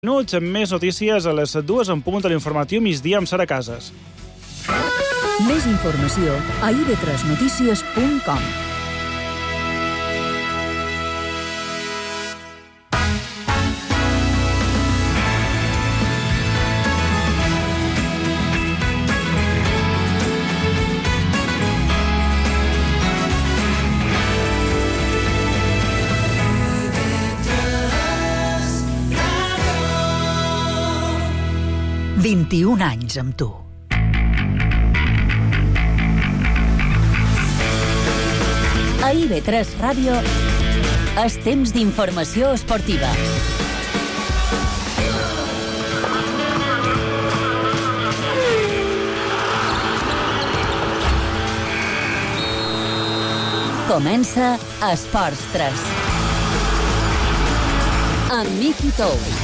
Minuts amb més notícies a les 2 en punt de l'informatiu migdia amb Sara Casas. Més informació a ib3notícies.com. « 21 anys amb tu. A IB3 Ràdio, és temps d'informació esportiva. Comença Esports 3. Amb Miki Tous.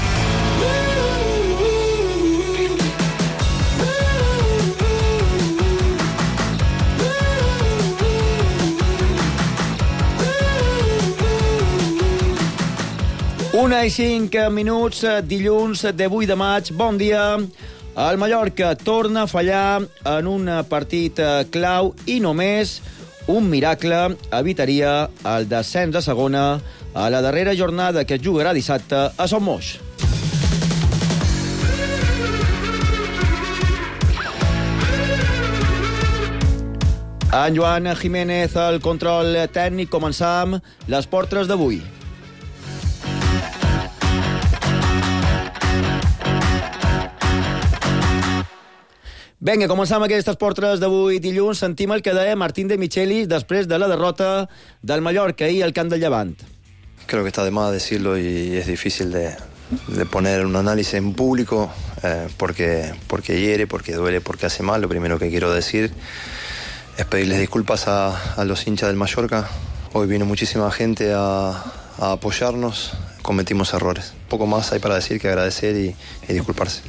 Una i 5 minuts, dilluns de 8 de maig. Bon dia. El Mallorca torna a fallar en un partit clau i només un miracle evitaria el descens a segona a la darrera jornada que es jugarà dissabte a Son Moix. En Joan Jiménez, el control tècnic. Començam les portres d'avui. Vinga, començam aquestes portres d'avui dilluns. Sentim el que deia Martín de Michelis després de la derrota del Mallorca ahir al camp del Llevant. Creo que está de más decirlo y es difícil de poner un análisis en público porque hiere, porque duele, porque hace mal. Lo primero que quiero decir es pedirles disculpas a los hinchas del Mallorca. Hoy vino muchísima gente a apoyarnos, cometimos errores. Poco más hay para decir que agradecer y disculparse.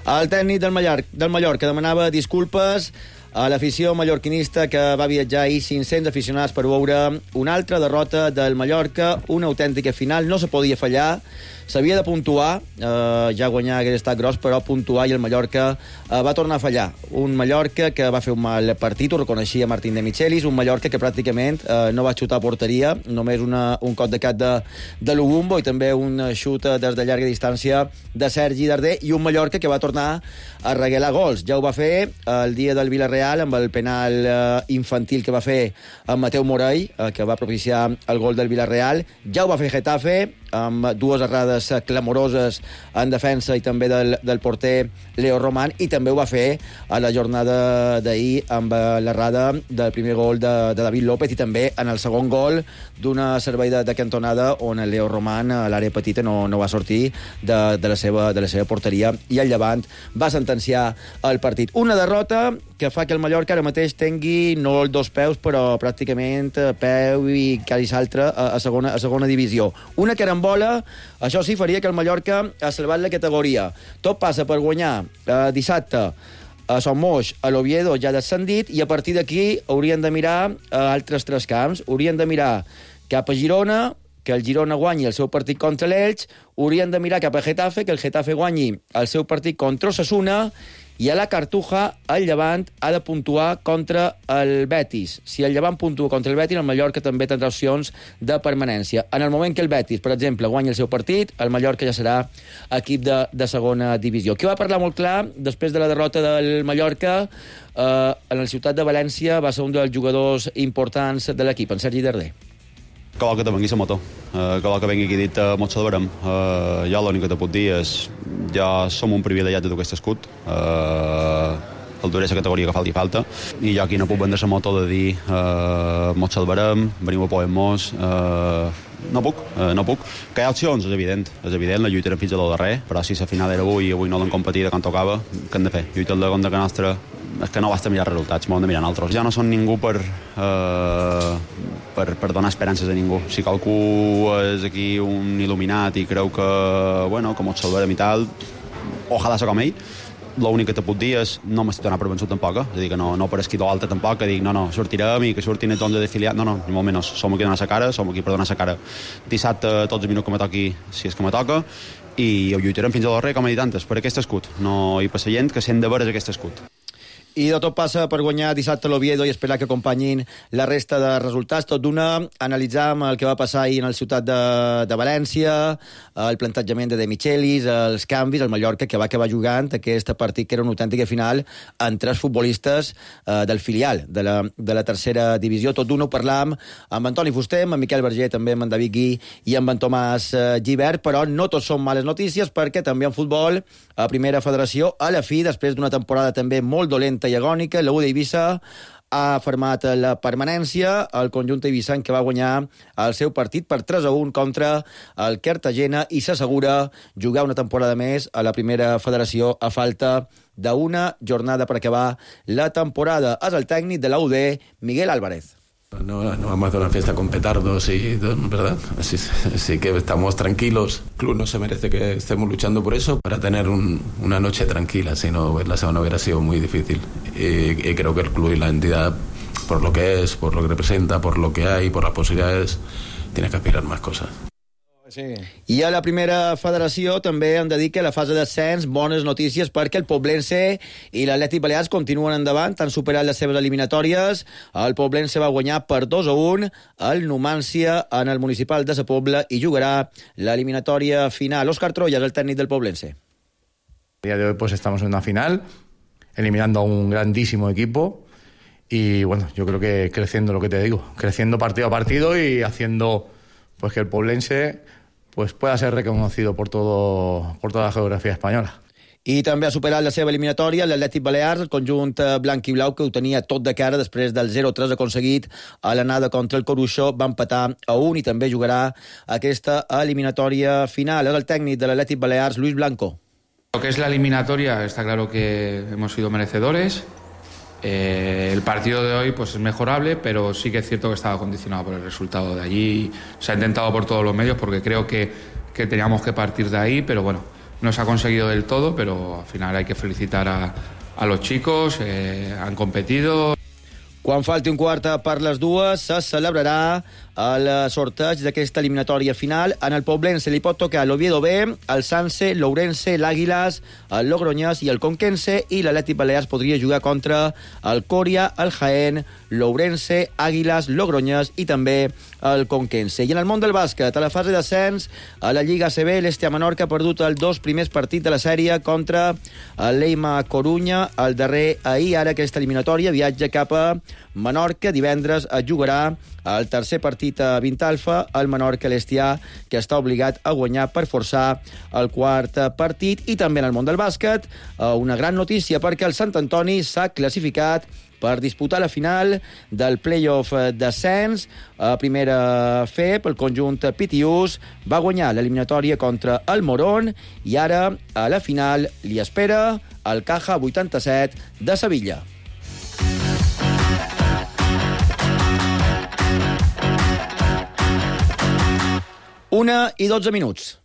El tècnic del Mallorca demanava disculpes a l'afició mallorquinista que va viatjar ahir 500 aficionats per veure una altra derrota del Mallorca, una autèntica final. No se podia fallar, s'havia de puntuar, ja guanyar hagués estat gros, però puntuar, i el Mallorca va tornar a fallar. Un Mallorca que va fer un mal partit, ho reconeixia Martín de Michelis, un Mallorca que pràcticament no va xutar a porteria, només un cop de cap de Lugumbo i també un xut des de llarga distància de Sergi Darder, i un Mallorca que va tornar a regalar gols. Ja ho va fer el dia del Villarreal amb el penal infantil que va fer amb Mateu Morell, que va propiciar el gol del Villarreal. Ja ho va fer Getafe amb dues errades clamoroses en defensa i també del porter Leo Roman, i també ho va fer a la jornada d'ahir amb l'errada del primer gol de David López, i també en el segon gol d'una servei de cantonada on el Leo Roman a l'àrea petita no va sortir de la seva porteria, i el Llevant va sentenciar el partit. Una derrota que fa que el Mallorca ara mateix tingui no els dos peus, però pràcticament peu i quasi l'altre a segona divisió. Una carambola, això sí, faria que el Mallorca ha salvat la categoria. Tot passa per guanyar dissabte a Son Moix, a l'Oviedo ja descendit, i a partir d'aquí haurien de mirar altres tres camps. Haurien de mirar cap a Girona, que el Girona guanyi el seu partit contra l'Elx. Haurien de mirar cap a Getafe, que el Getafe guanyi el seu partit contra Osasuna, i a la Cartuja el Llevant ha de puntuar contra el Betis. Si el Llevant puntua contra el Betis, el Mallorca també tindrà opcions de permanència. En el moment que el Betis, per exemple, guanyi el seu partit, el Mallorca ja serà equip de segona divisió. Qui va parlar molt clar després de la derrota del Mallorca en la ciutat de València va ser un dels jugadors importants de l'equip, en Sergi Darder. Que vol que te vengui la moto, que vol que vengui aquí dit molt salvarem. Jo l'únic que te puc dir és ja som un privilegiat de aquest escut, el duré la categoria que falta, i jo aquí no puc vendre la moto de dir molt salvarem, venim a poder-nos, no puc. Que hi ha opcions, és evident, la lluitarem fins a lo darrer, però si la final era avui no l'hem competit quan tocava, què hem de fer? Lluitar el de contra que nostra, és que no basta mirar resultats, m'ho hem de mirar altres. Ja no són ningú per donar esperances a ningú. Si qualcú és aquí un il·luminat i creu que mos salvarem i tal, ojalà ser com ell, l'únic que te puc dir és no m'estic donant per vençut tampoc, és a dir, que no per esquí d'altre tampoc, que dic no, sortirem i que sortin els 11 d'afiliats, no, ni molt menys, som aquí a donar la cara, som aquí per donar la cara dissabte tots els minuts que me toqui, si és que me toca, i ho lluitarem fins a l'arrer, com he dit antes, per aquest escut. No hi passa gent que sent de veres aquest escut. I de tot passa per guanyar dissabte l'Oviedo i esperar que acompanyin la resta de resultats. Tot d'una, analitzàvem el que va passar ahir en el ciutat de València, el plantejament de Michelis, els canvis, el Mallorca, que va acabar jugant aquest partit, que era una autèntica final, amb 3 futbolistes del filial de la tercera divisió. Tot d'una ho parlàvem amb Antoni Fuster, amb Miquel Berger, també amb en David Gui i amb en Tomàs Gibert, però no tots són males notícies, perquè també en futbol, a Primera Federació, a la fi, després d'una temporada també molt dolenta i agònica, la U d'Eivissa ha firmat la permanència. El conjunt eivissenc, que va guanyar el seu partit per 3-1 contra el Cartagena i s'assegura jugar una temporada més a la Primera Federació a falta d'una jornada per acabar la temporada. És el tècnic de la UD, Miguel Álvarez. No vamos a hacer una fiesta con petardos y ¿verdad? Así que estamos tranquilos. El club no se merece que estemos luchando por eso para tener una noche tranquila, si no la semana hubiera sido muy difícil. Y creo que el club y la entidad, por lo que es, por lo que representa, por lo que hay, por las posibilidades, tiene que aspirar más cosas. Sí. I a la Primera Federació també hem de dir que la fase d'ascens, bones notícies, perquè el Poblense i l'Atlètic Balears continuen endavant, han superat les seves eliminatòries. El Poblense va guanyar per 2-1 al Numància en el municipal de Sa Pobla i jugarà l'eliminatòria final. Òscar Troya és el tècnic del Poblense. A día de hoy pues estamos en una final, eliminando a un grandísimo equipo y bueno, yo creo que creciendo, lo que te digo, creciendo partido a partido y haciendo pues que el Poblense pues pueda ser reconocido por toda la geografia espanyola. I també ha superat la seva eliminatòria l'Atlètic Balears, el conjunt blanc i blau, que ho tenia tot de cara després del 0-3 aconseguit a l'anada contra el Coruixó. Va empatar a 1 i també jugarà aquesta eliminatòria final. És el tècnic de l'Atlètic Balears, Luis Blanco. Lo que es la eliminatoria, está claro que hemos sido merecedores. El partido de hoy pues es mejorable, pero sí que es cierto que estaba condicionado por el resultado de allí. Se ha intentado por todos los medios porque creo que teníamos que partir de ahí, pero bueno, no se ha conseguido del todo, pero al final hay que felicitar a los chicos, han competido. Quan falti un quart per les dues, se celebrarà el sorteig d'aquesta eliminatòria final. En el Poblense li pot tocar l'Oviedo B, el Sanse, l'Ourense, l'Àguiles, el Logroñés i el Conquense, i l'Atlètic Balears podria jugar contra el Coria, el Jaén, l'Ourense, Àguiles, Logroñés i també el Conquense. I en el món del bàsquet, a la fase d'ascens, a la Lliga ACB, l'Estia Menorca ha perdut els 2 primers partits de la sèrie contra l'Eima Corunya, el darrer ahir. Ara aquesta eliminatòria viatja cap a Menorca. Divendres es jugarà el tercer partit a Vintalfa, el Menorca l'Estià, que està obligat a guanyar per forçar el quart partit. I també en el món del bàsquet, una gran notícia, perquè el Sant Antoni s'ha classificat per disputar la final del play-off d'ascens a primera FEP. El conjunt Pitiús va guanyar l'eliminatòria contra el Morón i ara a la final li espera el Caja 87 de Sevilla. Una i 12 minuts.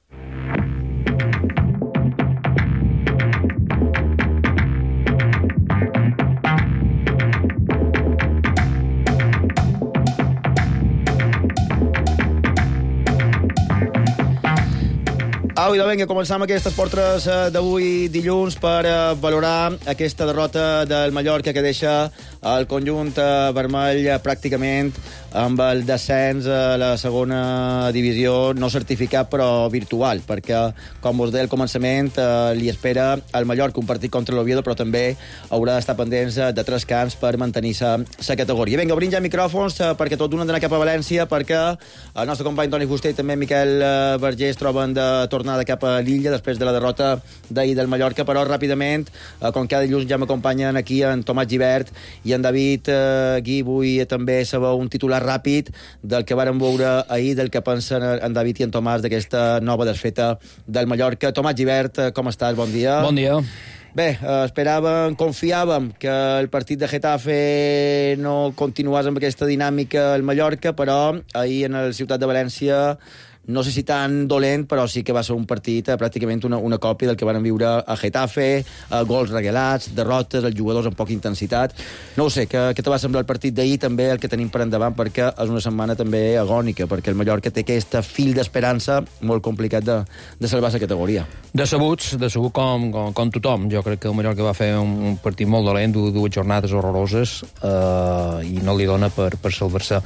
Au, idò, vinga, començam aquestes portes d'avui dilluns per valorar aquesta derrota del Mallorca que deixa el conjunt vermell pràcticament amb el descens a la segona divisió, no certificat però virtual, perquè, com us deia al començament, li espera al Mallorca un partit contra l'Oviedo, però també haurà d'estar pendents de 3 camps per mantenir-se la categoria. Vinga, obrim ja micròfons perquè tot d'un han d'anar cap a València, perquè el nostre company Toni Fuster i també Miquel Berger es troben de tornada cap a l'illa després de la derrota d'ahir del Mallorca, però ràpidament, com cada dilluns ja m'acompanyen aquí en Tomàs Gibert i en David Gui. Vull també saber un titular ràpid del que vàrem veure ahir, del que pensen en David i en Tomàs d'aquesta nova desfeta del Mallorca. Tomàs Gibert, com estàs? Bon dia. Bon dia. Bé, esperàvem, confiàvem que el partit de Getafe no continués amb aquesta dinàmica al Mallorca, però ahir en el Ciutat de València no sé si tan dolent, però sí que va ser un partit pràcticament una còpia del que van viure a Getafe, gols regalats, derrotes, els jugadors amb poca intensitat. No ho sé, què te va semblar el partit d'ahir, també el que tenim per endavant, perquè és una setmana també agònica, perquè el Mallorca té aquest fil d'esperança molt complicat de salvar la categoria. Decebut com tothom. Jo crec que el Mallorca va fer un partit molt dolent, dues jornades horroroses, i no li dona per salvar-se.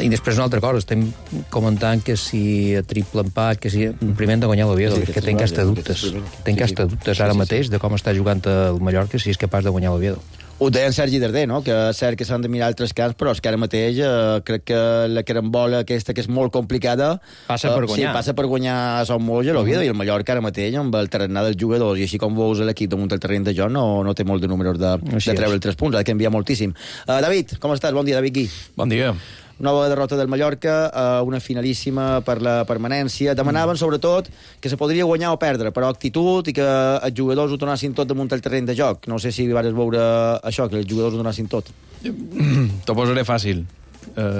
I després una altra cosa, estem comentant que si a triple empat, que si primer hem de guanyar l'Oviedo, que tenc hasta dubtes ara mateix de com està jugant el Mallorca, si és capaç de guanyar l'Oviedo. Ho deia en Sergi Darder, no? Que és cert que s'han de mirar altres camps, però és que ara mateix crec que la carambola aquesta, que és molt complicada, passa per guanyar. Sí, passa per guanyar a Son Moix i l'Oviedo, i el Mallorca ara mateix, amb el tarannà dels jugadors, i així com veus l'equip damunt del terreny de joc, no té molt de números de treure els 3 punts, ha de canviar moltíssim. David, com estàs? Bon dia, David Gui. Bon dia. Nova derrota del Mallorca, una finalíssima per la permanència. Demanaven, sobretot, que se podria guanyar o perdre, però actitud i que els jugadors ho tornassin tot damunt el terreny de joc. No sé si vas veure això, que els jugadors ho donassin tot. T'ho posaré fàcil.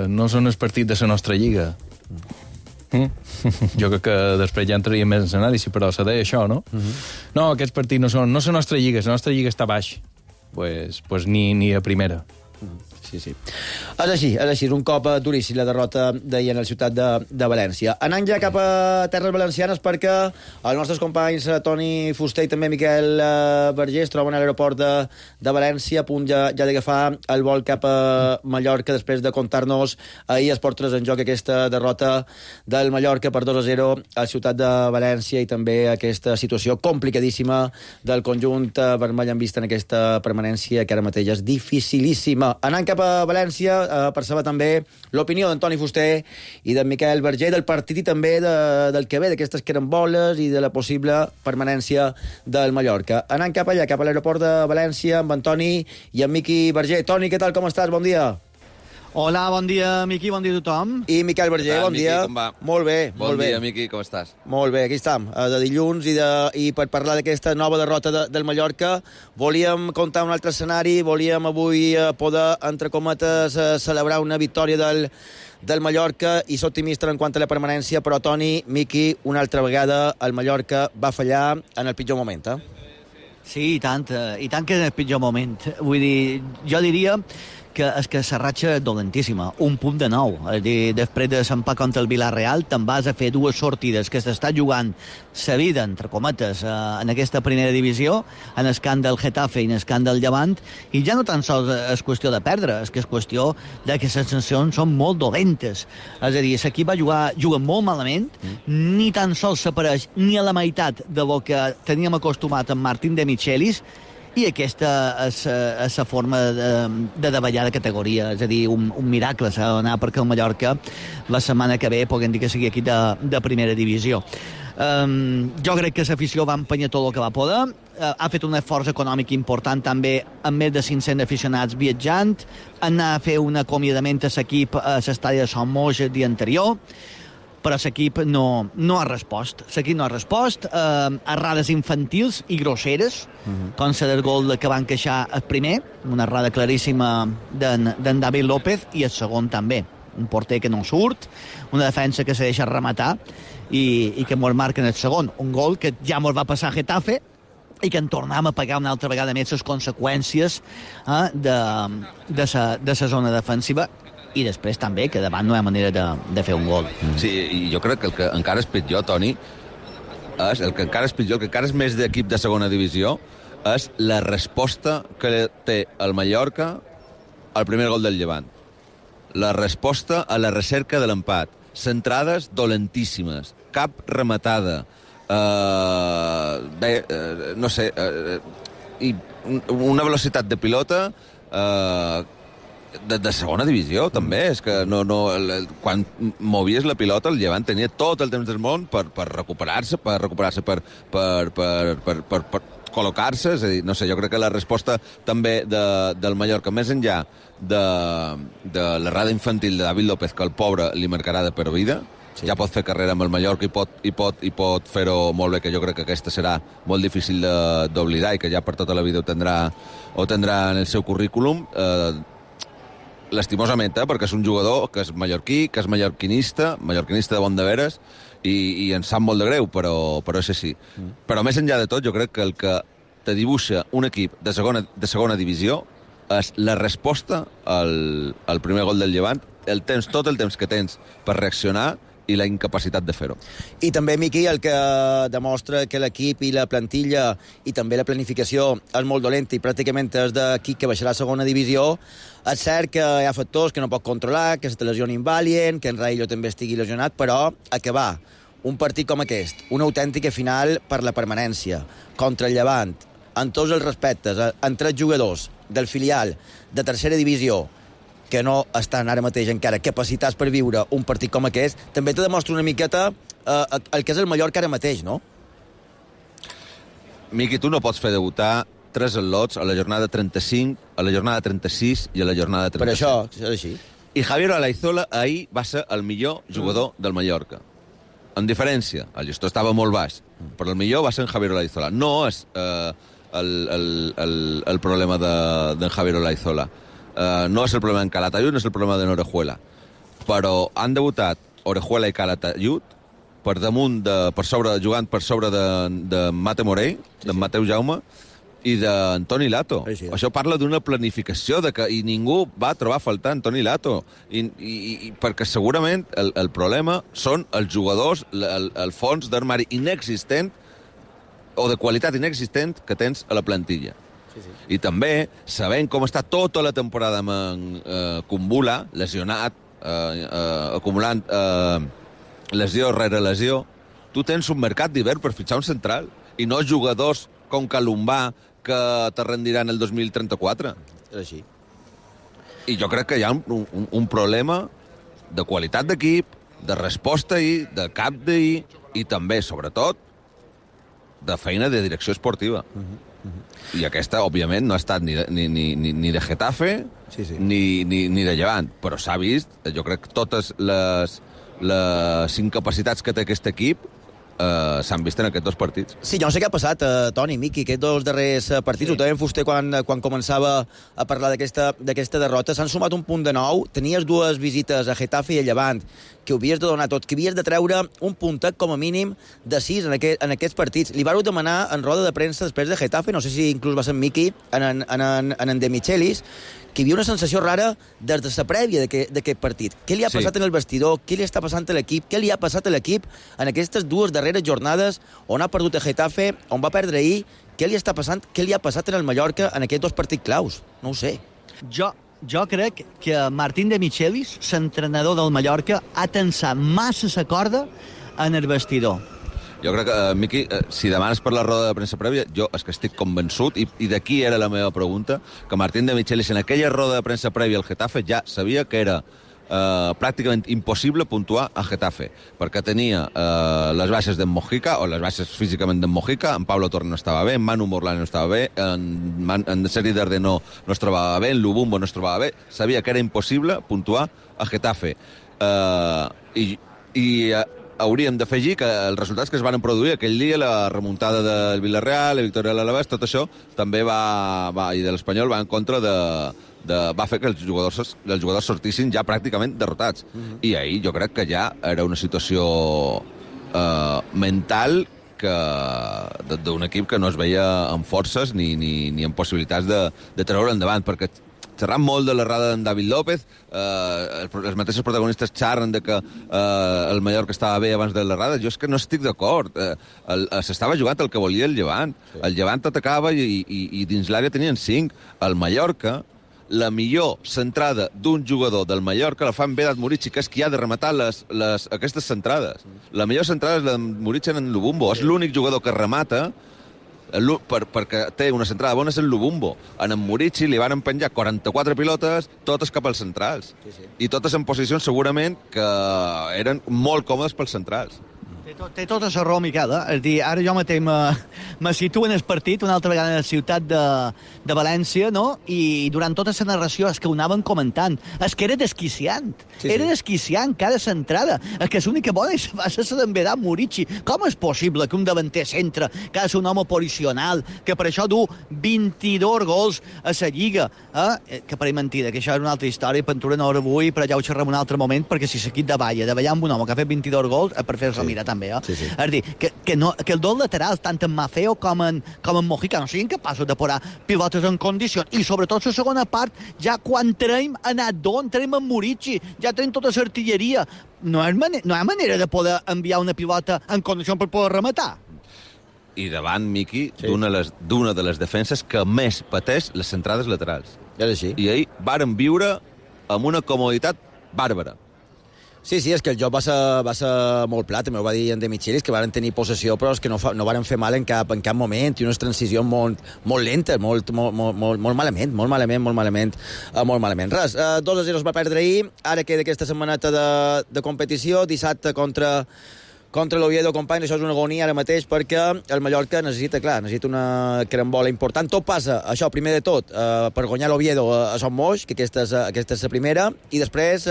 No són els partits de la nostra lliga. Jo crec que després ja entraria més en l'anàlisi, però se deia això, no? No, aquests partits no són la nostra lliga, la nostra lliga està baix. Pues ni a primera. Sí. És així, un cop duríssim la derrota d'ahir en la ciutat de València. Anant ja cap a terres valencianes, perquè els nostres companys Toni Fuster i també Miquel Vergés es troben a l'aeroport de València, a punt ja d'agafar el vol cap a Mallorca, després de contar-nos ahir es portes en joc aquesta derrota del Mallorca per 2-0 a la ciutat de València, i també aquesta situació complicadíssima del conjunt vermell en vista en aquesta permanència, que ara mateix és dificilíssima. Anant cap a València, per saber també l'opinió d'Antoni Fuster i d'en Miquel Verger del partit i també del que ve, d'aquestes caramboles i de la possible permanència del Mallorca. Anant cap allà, cap a l'aeroport de València, amb Antoni i en Miqui Verger. Toni, què tal, com estàs? Bon dia. Hola, bon dia, Miqui, bon dia a tothom. I Miquel Verger, bon dia. Com va? Molt bé, molt bé. Bon dia, Miqui, com estàs? Molt bé, aquí estem, de dilluns, i per parlar d'aquesta nova derrota del Mallorca, volíem contar un altre escenari, volíem avui poder, entre cometes, celebrar una victòria del Mallorca i ser optimista en quant a la permanència, però Toni, Miqui, una altra vegada el Mallorca va fallar en el pitjor moment, Sí, i tant que en el pitjor moment. Vull dir, jo diria que és que la ratxa és dolentíssima, un punt de 9. És dir, després de l'empat contra el Villarreal, te'n vas a fer 2 sortides que s'està jugant la vida, entre cometes, en aquesta primera divisió, en el camp del Getafe i en el camp del Llevant, i ja no tan sols és qüestió de perdre, és que és qüestió de que les sensacions són molt dolentes. És a dir, l'equip juga molt malament, ni tan sols s'apareix ni a la meitat de lo que teníem acostumat amb Martín de Michelis, i aquesta és la forma de davallar de categoria, és a dir, un miracle s'ha d'anar perquè el Mallorca la setmana que ve puguem dir que sigui aquí de primera divisió. Jo crec que l'afició va empenyar tot el que va poder, ha fet un esforç econòmic important també, amb més de 500 aficionats viatjant, anar a fer un acomiadament a l'equip a l'estadi de Son Moix el dia anterior, però l'equip no ha respost. L'equip no ha respost, errades infantils i grosseres, com la del gol que van queixar el primer, una errada claríssima d'en David López, i el segon també. Un porter que no surt, una defensa que se deixa rematar i que mos marquen el segon. Un gol que ja mos va passar a Getafe i que en tornem a pagar una altra vegada més les conseqüències de la zona defensiva, i després també que davant no hi ha manera de fer un gol. Sí, i jo crec que el que encara és pitjor, Toni, el que encara és més d'equip de segona divisió, és la resposta que té el Mallorca al primer gol del Llevant. La resposta a la recerca de l'empat. Centrades dolentíssimes, cap rematada, no sé, i una velocitat de pilota de segona divisió, també. És que quan movies la pilota, el Llevant tenia tot el temps del món per recuperar-se, per col·locar-se. És a dir, no sé, jo crec que la resposta també del Mallorca, més enllà de l'errada infantil de David López, que el pobre li marcarà de per vida, ja pot fer carrera amb el Mallorca i pot fer-ho molt bé, que jo crec que aquesta serà molt difícil d'oblidar i que ja per tota la vida ho tindrà en el seu currículum. lastimosament, perquè és un jugador que és mallorquí, que és mallorquinista de bon de veres, i ens sap molt de greu, però és així. Però més enllà de tot, jo crec que el que te dibuixa un equip de segona divisió és la resposta al primer gol del Llevant, tot el temps que tens per reaccionar i la incapacitat de fer-ho. I també, Miqui, el que demostra que l'equip i la plantilla i també la planificació és molt dolenta i pràcticament és d'equip que baixarà a segona divisió. És cert que hi ha factors que no pot controlar, que se te lesionin Valient, que en Raillo també estigui lesionat, però acabar un partit com aquest, una autèntica final per la permanència, contra el Llevant, en tots els respectes, en 3 jugadors del filial de tercera divisió, que no estan ara mateix encara capacitats per viure un partit com aquest, també te demostra una miqueta el que és el Mallorca ara mateix, no? Miqui, tu no pots fer debutar 3 al·lots a la jornada 35, a la jornada 36 i a la jornada 37. Per això, és així. I Javier Olaizola ahir va ser el millor jugador del Mallorca. En diferència, el gestor estava molt baix, però el millor va ser en Javier Olaizola. No és el problema d'en Javier Olaizola. No és el problema d'en Calatayud, no és el problema d'en Orejuela. Però han debutat Orejuela i Calatayud jugant per sobre de Mate Morell, d'en Mateu Jaume, i d'Antoni Lato. Sí. Això parla d'una planificació i ningú va trobar a faltar Antoni Lato. I perquè segurament el problema són els jugadors, el fons d'armari inexistent o de qualitat inexistent que tens a la plantilla. Sí. I també, sabent com està tota la temporada amb Kumbula, lesionat, acumulant lesió rere lesió, tu tens un mercat d'hivern per fitxar un central i no jugadors com Calombà que te rendiran el 2034. És així. I jo crec que hi ha un problema de qualitat d'equip, de resposta ahir, de cap d'ahir, i també, sobretot, de feina de direcció esportiva. I aquesta, òbviament, no ha estat ni de Getafe ni de Llevant, però s'ha vist, jo crec que totes les incapacitats que té aquest equip s'han vist en aquests 2 partits. Sí, jo no sé què ha passat, Toni, Miqui, aquests 2 darrers partits. Ho també en Fuster quan començava a parlar d'aquesta derrota. S'han sumat un punt de nou. Tenies 2 visites a Getafe i a Llevant, que ho havies de donar tot, que havies de treure un puntet com a mínim de 6 en aquests partits. Li vau demanar en roda de premsa després de Getafe, no sé si inclús va ser en Miqui, en De Michelis, que hi havia una sensació rara des de la prèvia d'aquest partit. Què li ha passat en el vestidor? Què li està passant a l'equip? Què li ha passat a l'equip en aquestes 2 darreres jornades on ha perdut a Getafe, on va perdre ahir? Què li està passant? Què li ha passat en el Mallorca en aquests 2 partits claus? No ho sé. Jo crec que Martín De Michelis, l'entrenador del Mallorca, ha tensat massa la corda en el vestidor. Jo crec que, Miqui, si demanes per la roda de premsa prèvia, jo és que estic convençut, i d'aquí era la meva pregunta, que Martín De Michelis en aquella roda de premsa prèvia al Getafe ja sabia que era pràcticament impossible puntuar a Getafe, perquè tenia les baixes d'en Mojica, o les baixes físicament d'en Mojica, en Pablo Torre no estava bé, en Manu Morlán no estava bé, en Seri Darder no es trobava bé, en Lubumbo no es trobava bé, sabia que era impossible puntuar a Getafe. I hauríem d'afegir que els resultats que es van produir aquell dia, la remuntada del Villarreal, la victòria de l'Alavés, tot això també i de l'Espanyol va en contra va fer que els jugadors sortissin ja pràcticament derrotats. I ahir jo crec que ja era una situació mental d'un equip que no es veia amb forces ni amb possibilitats de treure endavant, perquè xerrant molt de l'errada d'en David López, els mateixos protagonistes xerren de que el Mallorca estava bé abans de l'errada. Jo és que no estic d'acord. S'estava jugant el que volia el Llevant. El Llevant atacava i dins l'àrea tenien 5. El Mallorca, la millor centrada d'un jugador del Mallorca la fa en Vedat Murici, que és qui ha de rematar aquestes centrades. La millor centrada és la de Murici en Lubumbo. És l'únic jugador que remata perquè té una centrada bona, és el Lubumbo. En Murici li van empenjar 44 pilotes, totes cap als centrals. I totes en posicions segurament que eren molt còmodes pels centrals. Té tota la raó, Miquel. És dir, ara jo mateix me situo en el partit, una altra vegada en la ciutat de València, no? I durant tota la narració és que ho anaven comentant. És que era desquiciant. Era desquiciant cada centrada. És que l'única bona va ser la d'en Vedà Murici. Com és possible que un davanter centre, que ha de ser un home posicional, que per això du 22 gols a la Lliga, que pareix mentida, que això és una altra història, Ventura no ho vull, però ja ho xerrem un altre moment, perquè si l'equip davalla amb un home que ha fet 22 gols, per fer-se mirar també. És a dir, que els dos laterals, tant en Mafeo com en Mojica, no siguin capaços de posar pilotes en condicions. I sobretot la segona part, ja quan traiem a Nadon, traiem en Murici, ja traiem tota l'artilleria. No hi ha manera de poder enviar una pilota en condicions per poder rematar. I davant, Miqui, d'una de les defenses que més pateix les centrades laterals. És així. I ahir varen viure amb una comoditat bàrbara. Sí, és que el joc va ser molt pla, també ho va dir en De Michelis, que varen tenir possessió, però és que no varen fer mal en cap moment, i unes transicions molt lentes, molt malament. Res, 2-0 es va perdre ahir, ara queda aquesta setmaneta de competició, dissabte contra l'Oviedo, company, això és una agonia ara mateix, perquè el Mallorca necessita una carambola important. Tot passa, això, primer de tot, per guanyar l'Oviedo a Son Moix, que aquesta és la primera, i després,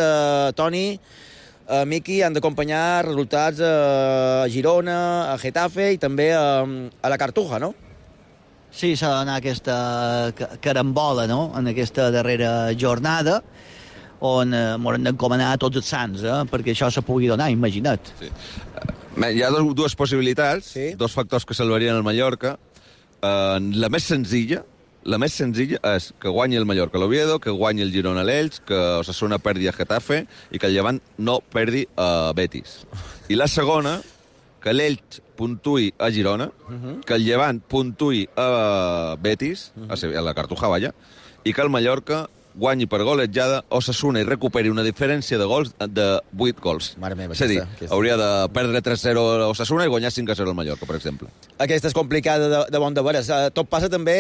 Toni, Miqui, han d'acompanyar resultats a Girona, a Getafe i també a la Cartuja, no? Sí, s'ha d'anar aquesta carambola, no?, en aquesta darrera jornada, on m'hauran d'encomanar tots els sants, perquè això se pugui donar, imagina't. Sí. Hi ha dues possibilitats, dos factors que salvarien el Mallorca. La més senzilla és que guanyi el Mallorca a l'Oviedo, que guanyi el Girona a l'Elx, que Osasuna perdi a Getafe i que el Llevant no perdi a Betis. I la segona, que l'Elx puntui a Girona, que el Llevant puntui a Betis, a la Cartuja, vaja, i que el Mallorca guanyi per golejada Osasuna i recuperi una diferència de gols de 8 gols. Mare meva, és a dir, hauria de perdre 3-0 a Osasuna i guanyar 5-0 al Mallorca, per exemple. Aquesta és complicada de bon de veres. Tot passa també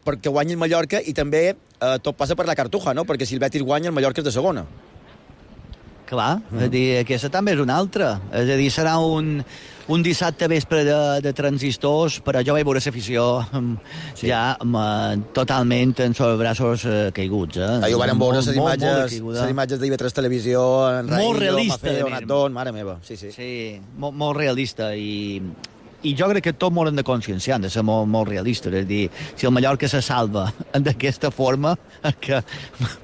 perquè guanyi el Mallorca i també tot passa per la Cartuja, no? Perquè si el Betis guanya, el Mallorca és de segona. Clar, és a dir, aquesta també és una altra. És a dir, serà un dissabte vespre de transistors, però jo vaig veure l'afició ja totalment en sobre braços caiguts. Ahir ho van veure les imatges d'IV3 Televisió, en Raïllo, Mafeo, Nadon, mare meva. Sí, molt realista i jo crec que tots m'hauran de conscienciar, de ser molt realistes. És a dir, si el Mallorca se salva d'aquesta forma, que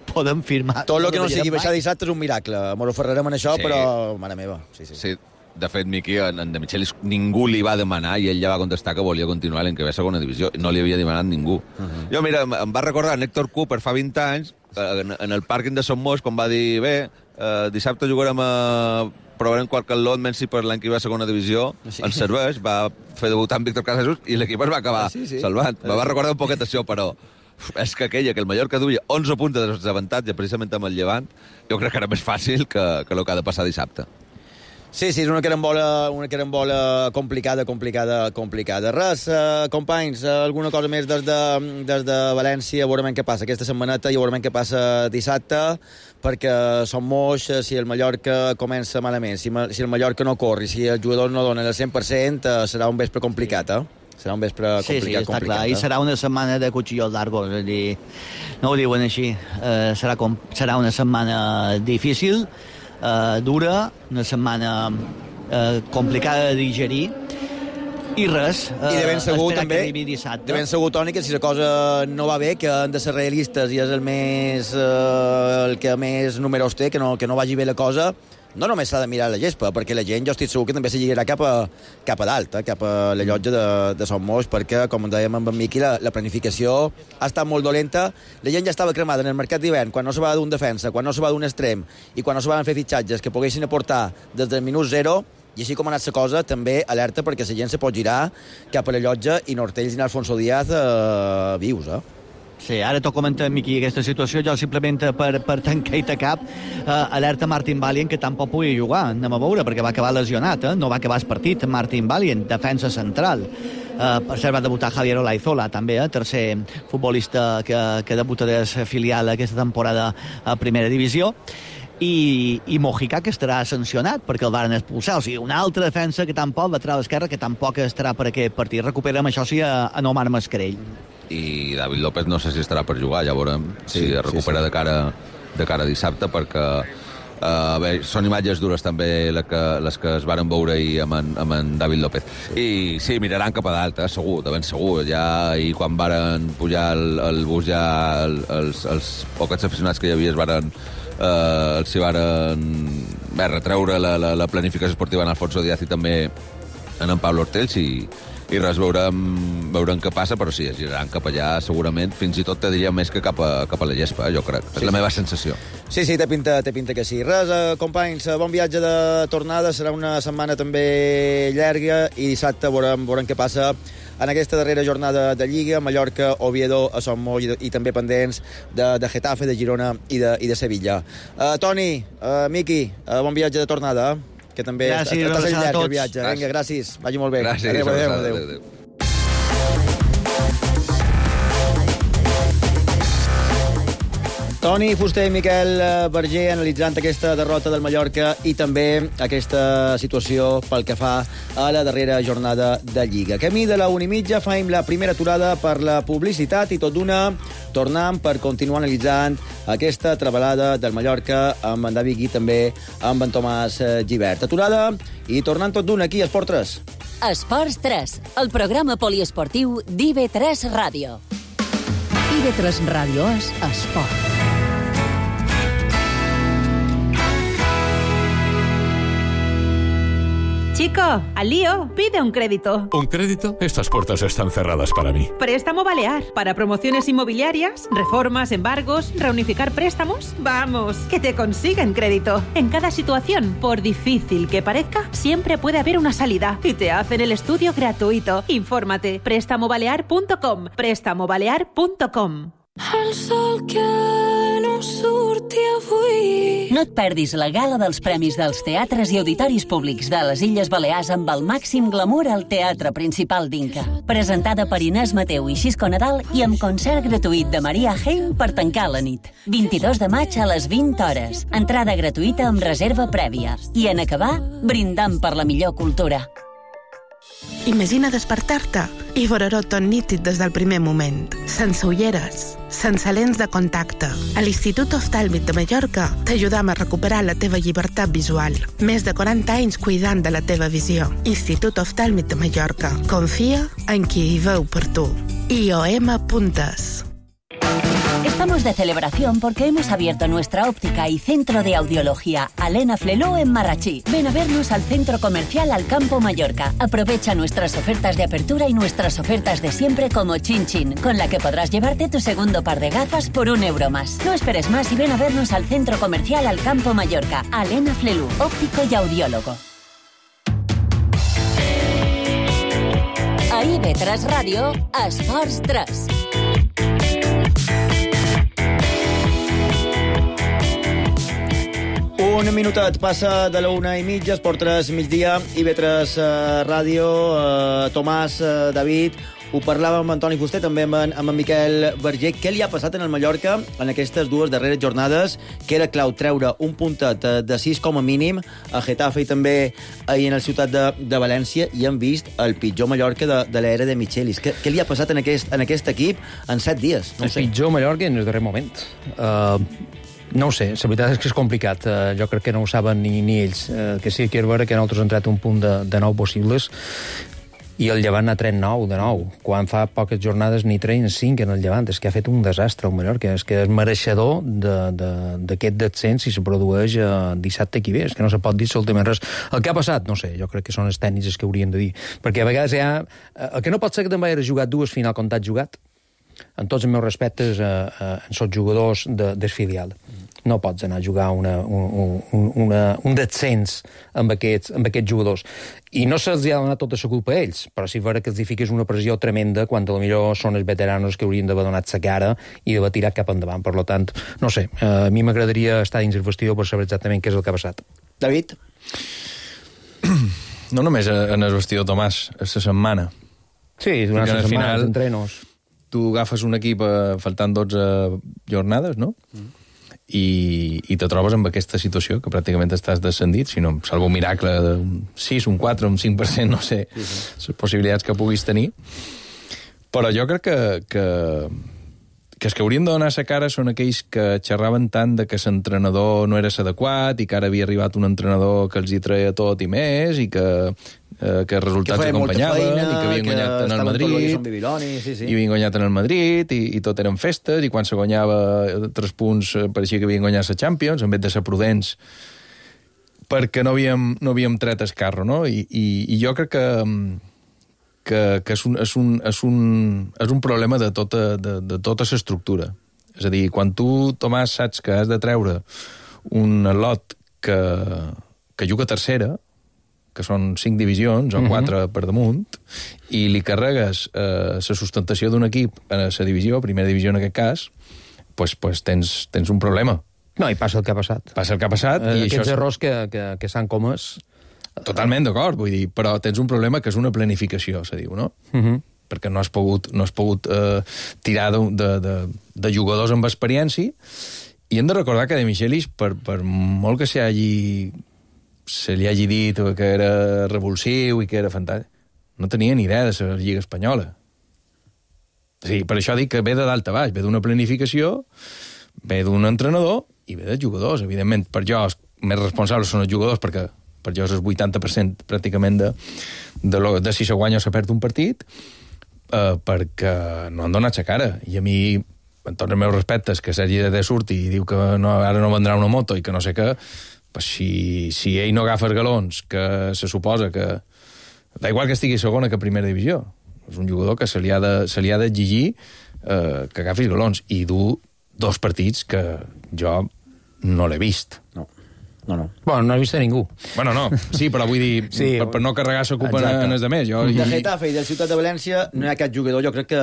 podem firmar... Tot el que no sigui baixar dissabte és un miracle. M'ho aferrarem en això, però mare meva. Sí. De fet, Miqui, en De Michelis ningú li va demanar i ell ja va contestar que volia continuar l'any que ve a segona divisió. No li havia demanat ningú. Jo, mira, em va recordar en Héctor Cooper fa 20 anys, en el pàrquing de Son Moix, quan va dir, dissabte jugarem provarem qualque lot, menys si per l'any que ve a segona divisió ens serveix, va fer debutar en Víctor Casasus i l'equip es va acabar salvant. Me va recordar un poquet això, però és que aquella, que el Mallorca duia 11 punts de desavantatge precisament amb el Llevant, jo crec que era més fàcil que el que ha de passar dissabte. Sí, és una carambola complicada. Res, companys, alguna cosa més des de València, veurem què passa aquesta setmaneta i veurem què passa dissabte, perquè Son Moix, si el Mallorca comença malament, si el Mallorca no corre, si els jugadors no donen el 100%, serà un vespre complicat, Serà un vespre complicat. Està clar, i serà una setmana de cuchillos largos, és a dir, no ho diuen així, serà una setmana difícil, dura, una setmana complicada de digerir i res, i de ben segur espera també, que arribi dissabte. De ben segur, Toni, que si la cosa no va bé, que han de ser realistes i és el que més números té, que no vagi bé la cosa, no només s'ha de mirar la gespa, perquè la gent, jo estic segur que també se lligarà cap a dalt, cap a la llotja de Son Moix, perquè, com dèiem amb en Miqui, la planificació ha estat molt dolenta. La gent ja estava cremada en el mercat d'hivern, quan no se va d'un defensa, quan no se va d'un extrem, i quan no se van fer fitxatges que poguessin aportar des del minut 0, i així com ha anat la cosa, també alerta perquè la gent se pot girar cap a la llotja i Nortells i Alfonso Díaz vius, Sí, ara t'ho comenta, Miqui, aquesta situació, jo simplement per tancar-te cap, alerta Martin Valient, que tampoc pugui jugar, anem a veure, perquè va acabar lesionat, no va acabar el partit, Martin Valient, defensa central. Per cert, va debutar Javier Olaizola, també, tercer futbolista que debuta de filial aquesta temporada a primera divisió. i Mojica, que estarà sancionat perquè el varen expulsar. O sigui, una altra defensa que tampoc, lateral esquerra, que tampoc estarà per aquest partit. Recuperem, això sí, a Omar Mascarell. I David López no sé si estarà per jugar, ja veurem si es recupera de cara a dissabte, perquè són imatges dures també les que es varen veure ahir amb en David López. I sí, miraran cap a dalt, segur, de ben segur. Ja, i quan varen pujar el bus, ja els pocs aficionats que hi havia els hi varen retreure la planificació esportiva en Alfonso Díaz i també en Pablo Ortells, i res, veurem què passa, però sí, es giraran cap allà segurament, fins i tot te diria més que cap a la gespa, jo crec. És la meva sensació. Sí, té pinta que sí. Res, companys, bon viatge de tornada, serà una setmana també llarga i dissabte veurem què passa en aquesta darrera jornada de Lliga, Mallorca, Oviedo, a Son Moll i també pendents de Getafe, de Girona i de Sevilla. Toni, Miqui, bon viatge de tornada, que també gràcies, estàs al llarg del viatge. Vinga, gràcies, vagi molt bé. Gràcies, adéu. Toni Fuster i Miquel Berger analitzant aquesta derrota del Mallorca i també aquesta situació pel que fa a la darrera jornada de Lliga. Camí de la 1:30 faim la primera aturada per la publicitat i tot d'una tornem per continuar analitzant aquesta trebalada del Mallorca amb en David Gui, també amb en Tomàs Gibert. Aturada i tornant tot d'una aquí a Esport 3. Esports 3, el programa poliesportiu d'IB3 Ràdio. IB3 Ràdio és esport. Chico, al lío, pide un crédito. ¿Un crédito? Estas puertas están cerradas para mí. Préstamo Balear. Para promociones inmobiliarias, reformas, embargos, reunificar préstamos. Vamos, que te consiguen crédito. En cada situación, por difícil que parezca, siempre puede haber una salida. Y te hacen el estudio gratuito. Infórmate. Préstamobalear.com. Préstamobalear.com. El sol que no surti avui. No et perdis la gala dels premis dels teatres i auditoris públics de les Illes Balears amb el màxim glamour al Teatre Principal d'Inca. Presentada per Inés Mateu i Xisco Nadal i amb concert gratuït de Maria Heim per tancar la nit. 22 de maig a les 20 hores. Entrada gratuïta amb reserva prèvia. I en acabar, brindant per la millor cultura. Imagina despertar-te i veure-ho tot nítid des del primer moment. Sense ulleres, sense lents de contacte. A l'Institut Oftàlmic de Mallorca t'ajudam a recuperar la teva llibertat visual. Més de 40 anys cuidant de la teva visió. Institut Oftàlmic de Mallorca. Confia en qui hi veu per tu. IOM.es. Estamos de celebración porque hemos abierto nuestra óptica y centro de audiología Alena Fleló en Marrachí. Ven a vernos al centro comercial Alcampo Mallorca. Aprovecha nuestras ofertas de apertura y nuestras ofertas de siempre como Chin Chin, con la que podrás llevarte tu segundo par de gafas por €1 más. No esperes más y ven a vernos al centro comercial Alcampo Mallorca. Alena Flelú, óptico y audiólogo. A IB3 Ràdio, Esports 3. Un minutet passa de la 1:30, Esport 3 migdia, IB3 Ràdio, Tomàs, David, ho parlàvem amb Antoni Fuster, també amb en Miquel Berger. Què li ha passat en el Mallorca en aquestes dues darreres jornades, que era clau treure un puntet de 6 com a mínim a Getafe i també ahir en el Ciutat de València, i hem vist el pitjor Mallorca de l'era de Michelis. Què li ha passat en aquest equip en 7 dies? No sé. El pitjor Mallorca en el darrer moment. No ho sé, la veritat és que és complicat. Jo crec que no ho saben ni ells. Que sí que és vera que nosaltres hem entrat un punt de 9 possibles i el Llevant ha tret 9 de 9. Quan fa poques jornades ni 3 ni 5 en el Llevant. És que ha fet un desastre el Mallorca. És que és mereixedor d'aquest descens si se produeix dissabte que ve. És que no se pot dir absolutament res. El que ha passat, no sé, jo crec que són els tècnics els que haurien de dir. Perquè a vegades el que no pot ser que també hagi jugat dues final com t'has jugat. En tots els meus respectes, són jugadors del filial. No pots anar a jugar un descens amb aquests jugadors. I no se'ls ha donat tota la culpa a ells, però sí vera que els fiques una pressió tremenda quan potser són els veteranos que haurien d'haver donat la cara i d'haver tirat cap endavant. Per tant, no sé, a mi m'agradaria estar dins el vestidor per saber exactament què és el que ha passat. David? No només en el vestidor, Tomàs, és la setmana. Sí, durant la setmana, els entrenos. Tu agafes un equip faltant 12 jornades, no? i te trobes amb aquesta situació que pràcticament estàs descendit, si no, salvo un miracle d'un 6, un 4, un 5%, no sé, les possibilitats que puguis tenir. Però jo crec que els que haurien de donar la cara són aquells que xerraven tant de que l'entrenador no era l'adequat i que ara havia arribat un entrenador que els hi treia tot i més i que els resultats acompanyaven i que havien guanyat en el Madrid i havien guanyat en el Madrid i tot eren festes i quan se guanyava 3 punts pareixia que havien guanyat la Champions en vez de ser prudents perquè no havíem tret el carro, no? I jo crec que és un problema de tota l'estructura. És a dir, quan tu, Tomàs, saps que has de treure un lot que juga a tercera, que són 5 divisions o 4 per damunt, i li carregues la sustentació d'un equip a la divisió, primera divisió en aquest cas, pues tens un problema. No, i passa el que ha passat. Passa el que ha passat. I aquests errors que s'han comès... Totalment d'acord, vull dir, però tens un problema que és una planificació, se diu, no? Perquè no has pogut tirar de jugadors amb experiència i hem de recordar que De Michelis, per molt que se li hagi dit que era revulsiu i que era fantàstic, no tenia ni idea de la Lliga Espanyola. Sí, per això dic que ve de dalt a baix, ve d'una planificació, ve d'un entrenador i ve de jugadors. Evidentment, per jo, els més responsables són els jugadors, perquè per jo és el 80% pràcticament de si se guanya o se perd un partit, perquè no han donat la cara. I a mi, amb tots els meus respectes, que Sergi de surti i diu que ara no vendrà una moto i que no sé què, pues si ell no agafa els galons, que se suposa que... Da igual que estigui segona que primera divisió. És un jugador que se li ha d'exigir que agafi els galons. I du 2 partits que jo no l'he vist. No. Bueno, no he vist a ningú. Bueno, no, sí, però vull dir, per no carregar la culpa en els demés. De Getafe i del Ciutat de València no hi ha cap jugador, jo crec que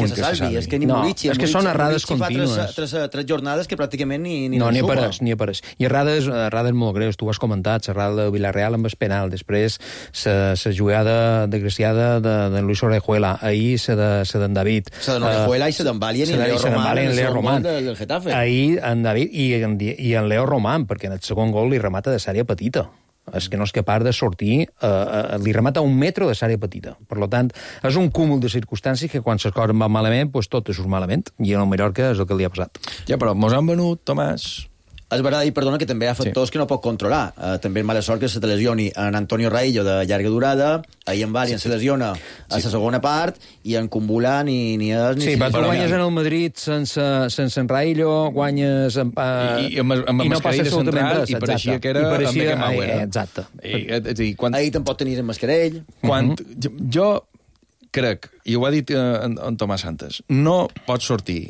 se salvi. És que ni Murici... És que són errades contínues. Tres jornades que pràcticament ni n'hi apareix. I errades molt greus, tu ho has comentat, l'errada de Villarreal amb el penal, després la jugada desgraciada de Luis Orejuela, ahir la d'en David. La d'en Orejuela i la d'en Valien i en Leo Román del Getafe. Ahir en David i en Leo Román, perquè en el segon gol li remata de l'àrea petita. És que no és capaç de sortir, li remata 1 metre de l'àrea petita. Per tant, és un cúmul de circumstàncies que quan les coses van malament, pues tot surt malament. I en el Mallorca és el que li ha passat. Ja, però mos han venut, Tomàs... És veritat, i perdona, que també hi ha factors que no pot controlar. També és mala sort que se te lesioni en Antonio Raillo de llarga durada, ahir en Valien se lesiona a la segona part, i en Kumbula ni és ni... Sí, però tu guanyes en el Madrid sense en Raillo, guanyes... I no passa absolutament res. I pareixia que era amb Beckenbauer. Exacte. Ahir tampoc tenies en Mascarell. Jo crec, i ho ha dit en Tomàs Santos, no pots sortir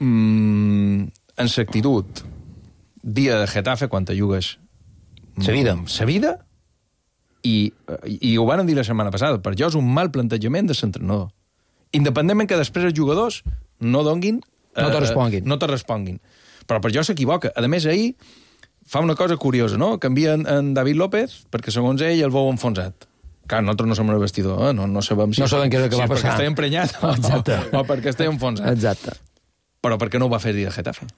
en l'actitud dia de Getafe quan te jugues sa vida i ho van dir la setmana passada. Per jo és un mal plantejament de l'entrenador, independentment que després els jugadors no donguin no te responguin, però per jo s'equivoca. A més, ahir fa una cosa curiosa, no? Canvia en David López perquè segons ell el veu enfonsat. Clar, nosaltres no som el vestidor, no sabem si què és el que va passar, perquè està emprenyat o perquè està enfonsat. Exacte. Però per què no ho va fer dir de Getafe?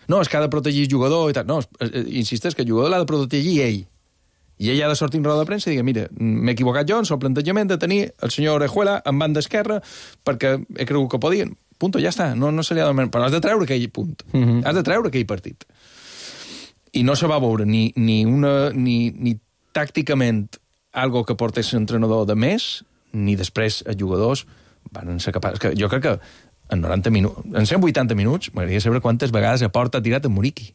No, és que ha de protegir el jugador i tal. No, insisteix que el jugador l'ha de protegir ell. I ell ha de sortir en roda de premsa i dir, mira, m'he equivocat jo en el plantejament de tenir el senyor Orejuela en banda esquerra perquè he cregut que podien. Punto, ja està. No se li ha de... Però has de treure aquell punt. Has de treure aquell partit. I no se va veure ni tàcticament algo que portés l'entrenador de més, ni després els jugadors van ser capaços... Jo crec que en 180 minuts, m'agradaria saber quantes vegades a porta ha tirat en Muriqui,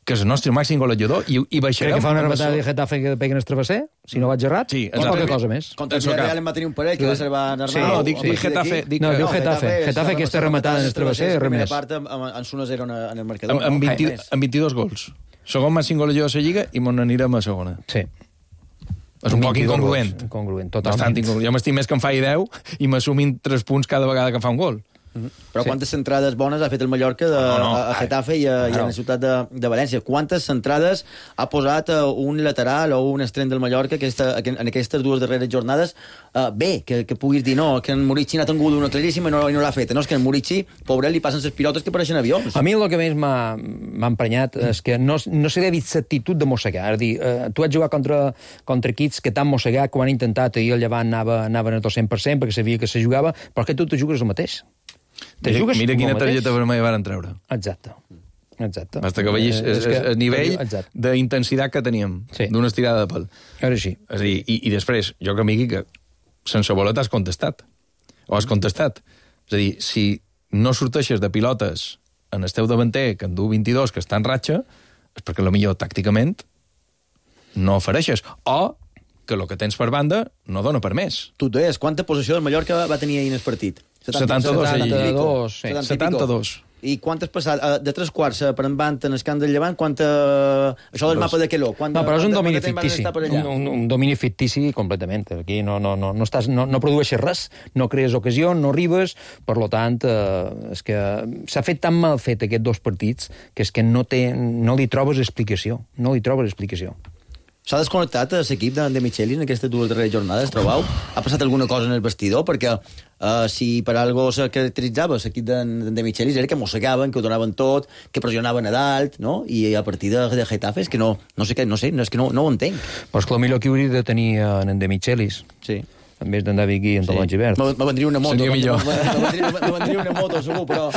que és el nostre màxim golejador, i baixarem... Crec que fa una rematada de Getafe que peguen el travesser, si no vaig errat, o qualque cosa més. Contra el Villarreal en va tenir un parell que va ser Arnau. Sí, no, dic Getafe. No, diu Getafe. Getafe aquesta rematada en el travesser, res més. Part amb 1-0 en el marcador. Amb 22 gols. Segon màxim golejador de la Lliga i m'on anirem a segona. Sí. És un poc incongruent. Incongruent, totalment. Bastant incongruent. Jo m'estic més que em faci 10 i m'assumin 3 punts cada vegada que em fa un gol. Però quantes centrades bones ha fet el Mallorca a Getafe i a la ciutat de València? Quantes centrades ha posat un lateral o un extrem del Mallorca en aquestes dues darreres jornades? Bé, que puguis dir, no, que en Murici n'ha tingut una claríssima i no l'ha feta. No, és que en Murici, pobret, li passen les pilotes que pareixen avions. A mi el que més m'ha emprenyat és que no se li ha vist l'actitud de mossegar. És a dir, tu has jugat contra equips que t'han mossegat, que ho han intentat, i el Llevant anaven a 200% perquè sabia que se jugava, però que tu te jugues el mateix. Mira quina targeta vermella van treure. Exacte. Basta que veiis el nivell d'intensitat que teníem, d'una estirada de pèl. Ara sí. És a dir, i després, jo que m'hi que sense voler t'has contestat. O has contestat. És a dir, si no sorteixes de pilotes en el teu davanter, que en du 22, que està en ratxa, és perquè potser tàcticament no ofereixes. O que el que tens per banda no dona per més. Tu deies, quanta possessió del Mallorca va tenir ahir en el partit? 72. I quantes passat? De 3/4 per endavant en el camp del Llevant, això del mapa de Queló. No, però és un domini fictici. Un domini fictici completament. Aquí no produeixes res, no crees ocasió, no arribes, per tant, és que s'ha fet tan mal fet aquests dos partits que és que no li trobes explicació. No li trobes explicació. S'ha desconnectat l'equip de Michelis en aquestes dues darreres jornades, trobeu? Ha passat alguna cosa en el vestidor? Perquè si per algo se caracteritzava l'equip de Michelis era que mossegaven, que ho donaven tot, que pressionaven a dalt, no? I a partir de Getafe és que no sé, és que no ho entenc. Però és que el millor que hauria de tenir en de Michelis. Sí. En vez d'andar aquí en Talons Givert. Me vendria una moto. Seria millor. Me vendria una moto, segur, però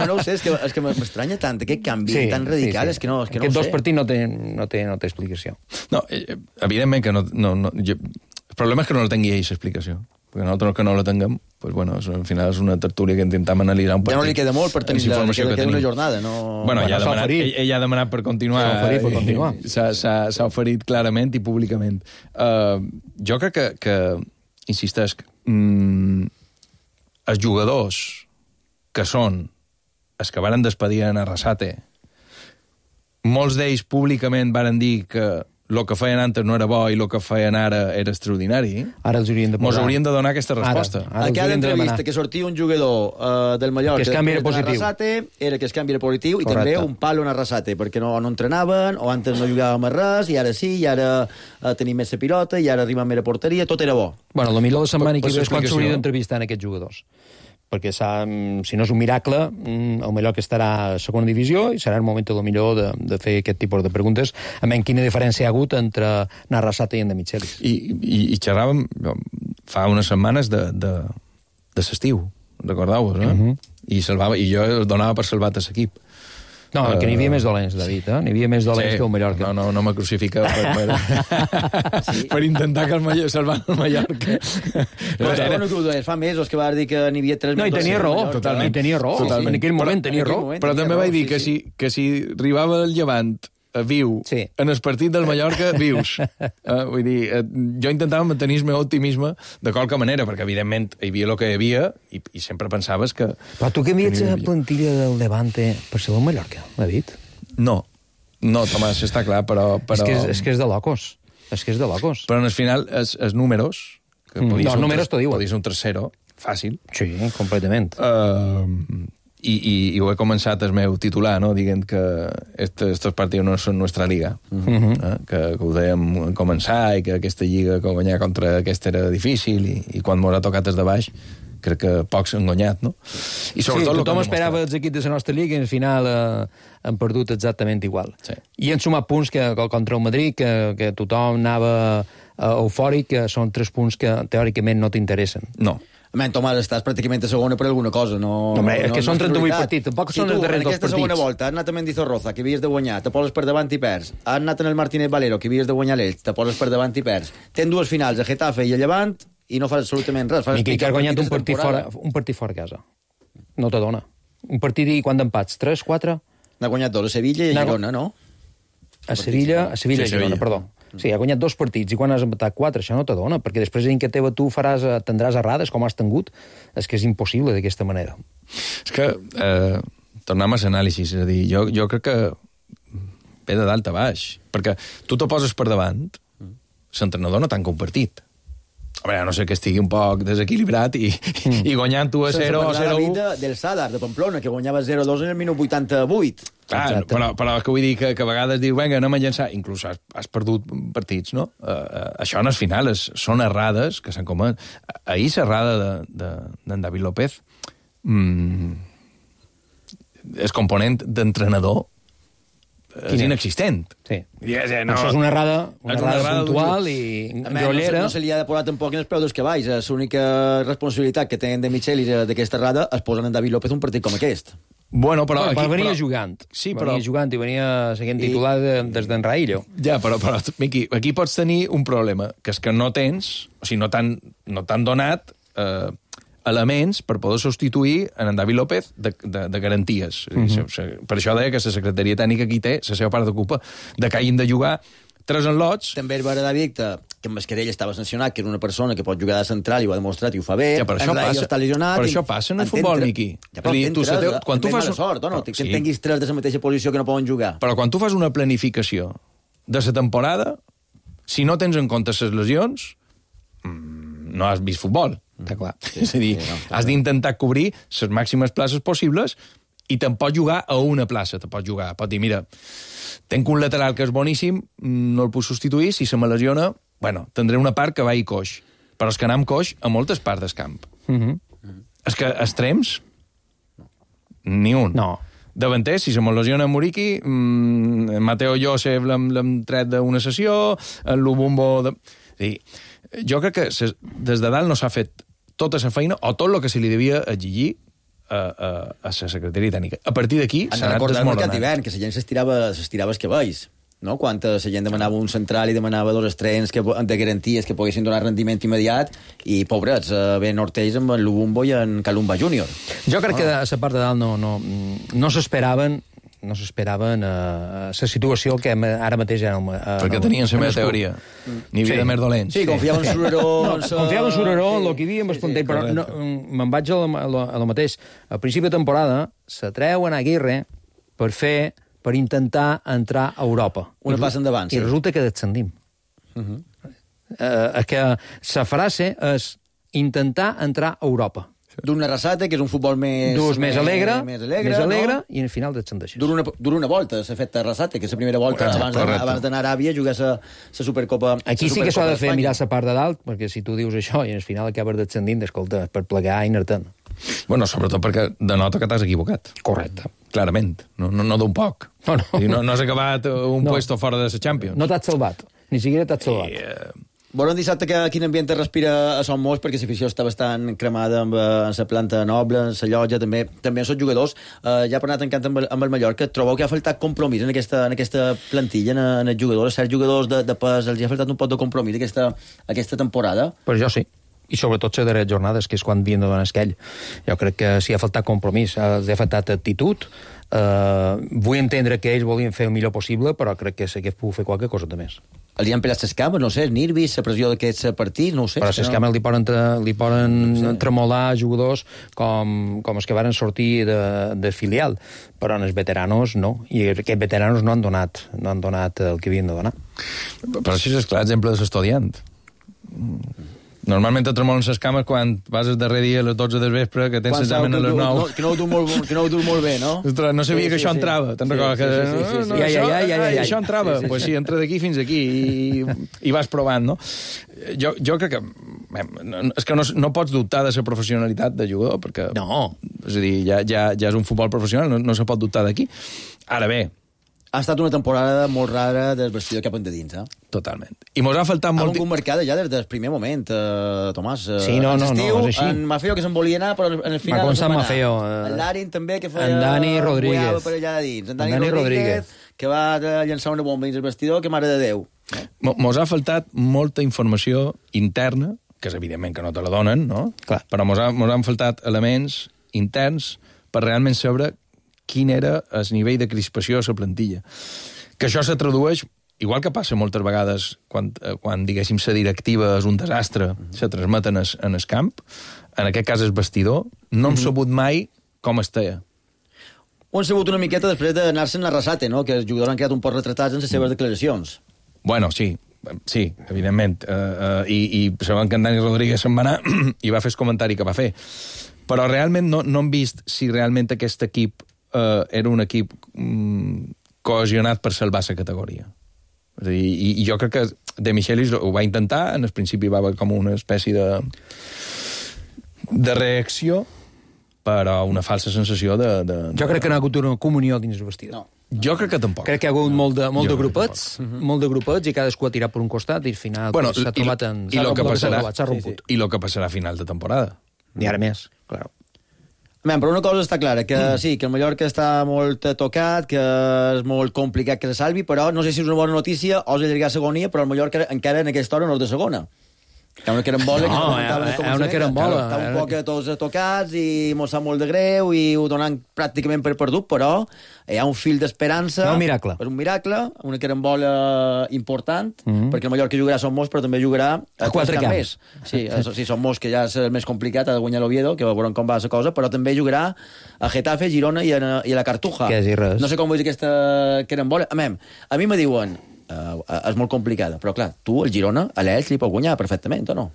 no ho sé, és que m'estranya tant aquest canvi tan radical, és que no ho sé. Aquests dos partits no té explicació. No, evidentment que no... El problema és que no la tingui ells explicació. Perquè nosaltres que no la tinguem, pues bueno, al final és una tertúlia que intentem analitzar un partit. Ja no li queda molt per tenir una jornada, no? Bueno, ell ha demanat per continuar. S'ha oferit clarament i públicament. Jo crec que insistesc, els jugadors que són els que varen despedir en Arrasate, molts d'ells públicament varen dir que el que feien antes no era bo i el que feien ara era extraordinari. Ara els haurien de posar. Mos haurien de donar aquesta resposta. A cada entrevista que sortia un jugador del Mallorca que es canvi positiu. Arrasate era que es canvi positiu. Correcte. I també un palo en Arrasate, perquè no entrenaven, o antes no jugàvem a res, i ara sí, i ara tenim més la pilota, i ara arribem més a porteria, tot era bo. Bueno, el millor de setmana que és quan s'hauria d'entrevistar en aquests jugadors. Perquè si no és un miracle, el Mallorca estarà a segona divisió i serà el moment millor de fer aquest tipus de preguntes, a menys quina diferència hi ha hagut entre Arrasate i en de Michelis. I xerràvem fa unes setmanes de l'estiu, recordeu-vos, no? I jo el donava per salvat a l'equip. No, que n'hi havia més dolents, David, N'hi havia més dolents que el Mallorca. No me crucifica per intentar que salvar el Mallorca. Fa mesos que va dir que n'hi havia 3 més dolents. No, i tenia raó, totalment. Tenia raó. En aquell moment tenia raó. Però també vaig dir que si arribava el Llevant viu, en el partit del Mallorca vius. Vull dir, jo intentava mantenir el meu optimisme de qualque manera, perquè evidentment hi havia el que hi havia i sempre pensaves que... Però tu canvies la plantilla del Levante per ser el Mallorca, David? No, Tomàs, està clar, però... És que és de locos. Però en el final, els números... Els números t'ho diuen. Podria ser un 3-0, fàcil. Sí, completament. I ho he començat el meu titular, no? Dient que estos partidos no són nostra liga. Que ho dèiem començar i que aquesta lliga que guanyar contra aquesta era difícil i quan m'ho ha tocat des de baix crec que pocs han guanyat, no? I sobretot tothom esperava els equips de la nostra lliga i al final han perdut exactament igual. I han sumat punts contra el Madrid que tothom anava eufòric, que són 3 punts que teòricament no t'interessen. No. Tomàs, estàs pràcticament a segona per alguna cosa. És que són 38 partits, tampoc són els darrers 2 partits. En aquesta segona volta has anat a Mendizorroza, que havies de guanyar, te poses per davant i perds. Has anat en el Martínez Valero, que havies de guanyar l'Elx, te poses per davant i perds. Tens 2 finals, a Getafe i a Llevant, i no fas absolutament res. Miqui, que has guanyat un partit fora a casa. No t'adona. Un partit i quant d'empats? 3, 4? N'ha guanyat 2, a Sevilla i a Girona, no? A Sevilla i Girona, perdó. Sí, ha guanyat 2 partits i quan has empatat 4, això no t'adona, perquè després en què teva tu tindràs errades com has tingut, és que és impossible d'aquesta manera. És que, tornem a l'anàlisi, és a dir, jo crec que ve de dalt a baix, perquè tu te poses per davant, l'entrenador no tanca un partit. Home, no sé que estigui un poc desequilibrat i guanyant 1-0 o 0-1... del Sadar, de Pamplona, que guanyava 0-2 en el minut 88. Clar, però que vull dir que a vegades dius, vinga, anem a llançar, inclús has perdut partits, no? Això en el final són errades que s'han comet. Ahir l'errada d'en David López, el component d'entrenador és inexistent. Sí. Això és una errada puntual i grollera. No se li ha de posar tampoc en els peus dels cavalls. L'única responsabilitat que tenen de Michelis d'aquesta errada es posen en David López un partit com aquest. Bueno, però venia jugant. Sí, venia jugant i venia seguint titular des d'en Raillo. Ja, però Miqui, aquí pots tenir un problema, que és que no tens, o sigui, no t'han donat elements per poder substituir en David López de garanties. Per això deia que la secretaria tècnica aquí té la seva part de culpa de que hagin de jugar 3 enlots. També és veredicte que en Mascarell estava sancionat, que era una persona que pot jugar de central i ho ha demostrat i ho fa bé. Ja, però això passa en el futbol, Miqui. Ja, però quan tu fas sort, o no? Que tinguis 3 de la mateixa posició que no poden jugar. Però quan tu fas una planificació de la temporada, si no tens en compte les lesions, no has vist futbol. Està clar. És a dir, has d'intentar cobrir les màximes places possibles i te'n pots jugar a una plaça. Te pots jugar. Pots dir, mira, tenc un lateral que és boníssim, no el puc substituir, si se me lesiona, bueno, tindré una part que va i coix. Però és que anar amb coix a moltes parts del camp. És que extrems, ni un. No. Davanter, si se me lesiona Muriqui, Mateo Josef l'hem tret d'una sessió, el Lubumbo... És dir, jo crec que des de dalt no s'ha fet tota la feina o tot el que se li devia exigir a la secretaria tècnica. A partir d'aquí s'ha anat desmoronant. Que la gent s'estirava els cabells, no? Quan la gent demanava un central i demanava 2 estrenes de garanties que poguessin donar rendiment immediat i, pobrets, ben Ortells amb el Lubumbo i en Calumba Júnior. Jo crec que a la part de dalt no s'esperaven la situació que ara mateix era... Perquè tenien la meva teoria. N'hi havia de més dolents. Sí, confiava en Sureró... Confiava en Sureró, en el que hi havia, amb el Espontell, però me'n vaig a lo mateix. Al principi de temporada se treuen a Aguirre per intentar entrar a Europa. Una passa endavant, sí. I resulta que descendim. Que la frase és intentar entrar a Europa. D'una Arrasate, que és un futbol més alegre, no? I al final descendeixes. Dura una volta, s'ha fet Arrasate, que és la primera volta abans d'anar a Aràbia a jugar la Supercopa. Aquí sí que s'ha de fer mirar la part de dalt, perquè si tu dius això i al final acabes descendint, escolta, per plegar i anar-te'n. Bueno, sobretot perquè denota que t'has equivocat. Correcte. Clarament, no d'un poc. No has acabat un puesto fora de la Champions. No t'has salvat, ni siquiera t'has salvat. Veurem dissabte quin ambient es respira a Son Moix, perquè l'afició està bastant cremada amb la planta noble, en la llotja, també en són jugadors. Ja per anar tancant amb el Mallorca, trobeu que ha faltat compromís en aquesta plantilla, en els jugadors, certs jugadors de pes, els ha faltat un pot de compromís aquesta temporada? Pues jo sí. I sobretot les darreres jornades, que és quan havien de donar esquell. Jo crec que sí ha faltat compromís, els ha faltat actitud. Vull entendre que ells volien fer el millor possible, però crec que s'hagués pogut fer qualque cosa de més. Els hi han pelat les cames, no sé, nervis, la pressió d'aquests partits, no ho sé. Però les cames li poden tremolar jugadors com els que varen sortir de filial, però en els veteranos no, i aquests veteranos no han donat el que havien de donar. Però això és clar exemple de l'estudiant. Normalment et tremolen les cames quan vas el darrer dia a les 12 del vespre, que tens l'examen a les 9. Que no ho du molt bé, no? Ostres, no sabia que això entrava. Te'n recordes? Això entrava. Doncs sí, entra d'aquí fins aquí i vas provant, no? Jo crec que... És que no pots dubtar de la professionalitat de jugador, perquè... No. És a dir, ja és un futbol professional, no se pot dubtar d'aquí. Ara bé... Ha estat una temporada molt rara del vestidor cap endins, eh? Totalment. I mos ha faltat molt... Ha vingut marcada ja des del primer moment, Tomàs. Sí, no, és així. En Mafeo, que se'n volia anar, però en el final... Va començar Mafeo. En Larin també, que feia... En Dani Rodríguez. Per allà dins. En Dani Rodríguez, que va llançar una bomba dins el vestidor, que mare de Déu. Mos ha faltat molta informació interna, que és evidentment que no te la donen, no? Clar. Però mos han faltat elements interns per realment saber quin era el nivell de crispació a la plantilla. Que això se tradueix, igual que passa moltes vegades quan diguéssim, la directiva és un desastre, se transmeten en el camp, en aquest cas el vestidor, no hem sabut mai com estava. Ho han sabut una miqueta després d'anar-se'n a Arrasate, no? Que els jugadors han quedat un poc retratats en les seves declaracions. Bueno, sí, Sí, evidentment. I sabem que en Dani Rodríguez se'n va anar i va fer el comentari que va fer. Però realment no hem vist si realment aquest equip era un equip cohesionat per salvar la categoria. És a dir, i jo crec que De Michelis ho va intentar, en el principi va haver com una espècie de reacció, però una falsa sensació de... Jo crec que no ha hagut una comunió dins el vestidor. No. Jo crec que tampoc. Crec que hi ha hagut molt de grupets, i cadascú ha tirat per un costat i al final s'ha trobat en... I el que passarà a final de temporada. I ara més, clar. Però una cosa està clara, que sí, que el Mallorca està molt tocat, que és molt complicat que se salvi, però no sé si és una bona notícia o és allargar segonia, però el Mallorca encara en aquesta hora no és de segona. Que una carambola... una carambola. Està un poc tots tocats i mos sap molt de greu i ho donen pràcticament per perdut, però hi ha un fil d'esperança. Un miracle. És un miracle, una carambola important, perquè el Mallorca jugarà a Son Mos, però també jugarà a 4 camps. Sí, Son Mos, que ja és el més complicat, ha de guanyar l'Oviedo, que veurem com va la cosa, però també jugarà a Getafe, Girona i a la Cartuja. Que és res. No sé com veus aquesta carambola. A mi me diuen... és molt complicada, però clar, tu, el Girona, a l'Elx li pot guanyar perfectament, o no?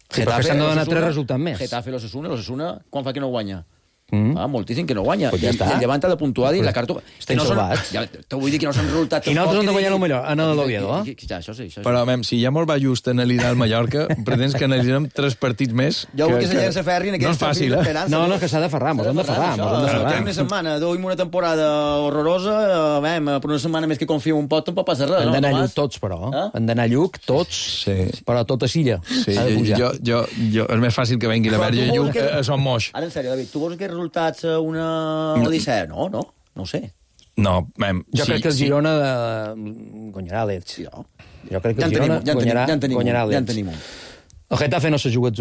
Sí, però s'han de donar 3 resultats més. Getafe, l'Osasuna, quan fa que no guanya? Moltíssim que no guanya. Pues ja està. I el Llevant ha de puntuar i la Cartuja... Estem salvats. T'ho vull dir que no s'han resultat... I nosaltres hem de guanyar el millor, en l'Oviedo, Això sí. Però, si ja molt va just analitzar el Mallorca, pretens que analitzem 3 partits més... Jo vull que se llença ferri en aquest... No és fàcil, No, que s'ha de ferrar, mos hem de ferrar. Una setmana, duim una temporada horrorosa, per una setmana més que confio un pot, tampoc passa res. Han d'anar a Lluc tots, però. Han d'anar a Lluc tots, però tota Silla. És més fàcil que vengui la verge Lluc a Son Moix. Ara, en sèrio, David, tu vols aquests resultats una odissea? No ho sé. No, jo crec que el Girona guanyarà l'Elx. Jo crec que el Girona guanyarà l'Elx. Ja en tenim un. El Getafe no se juga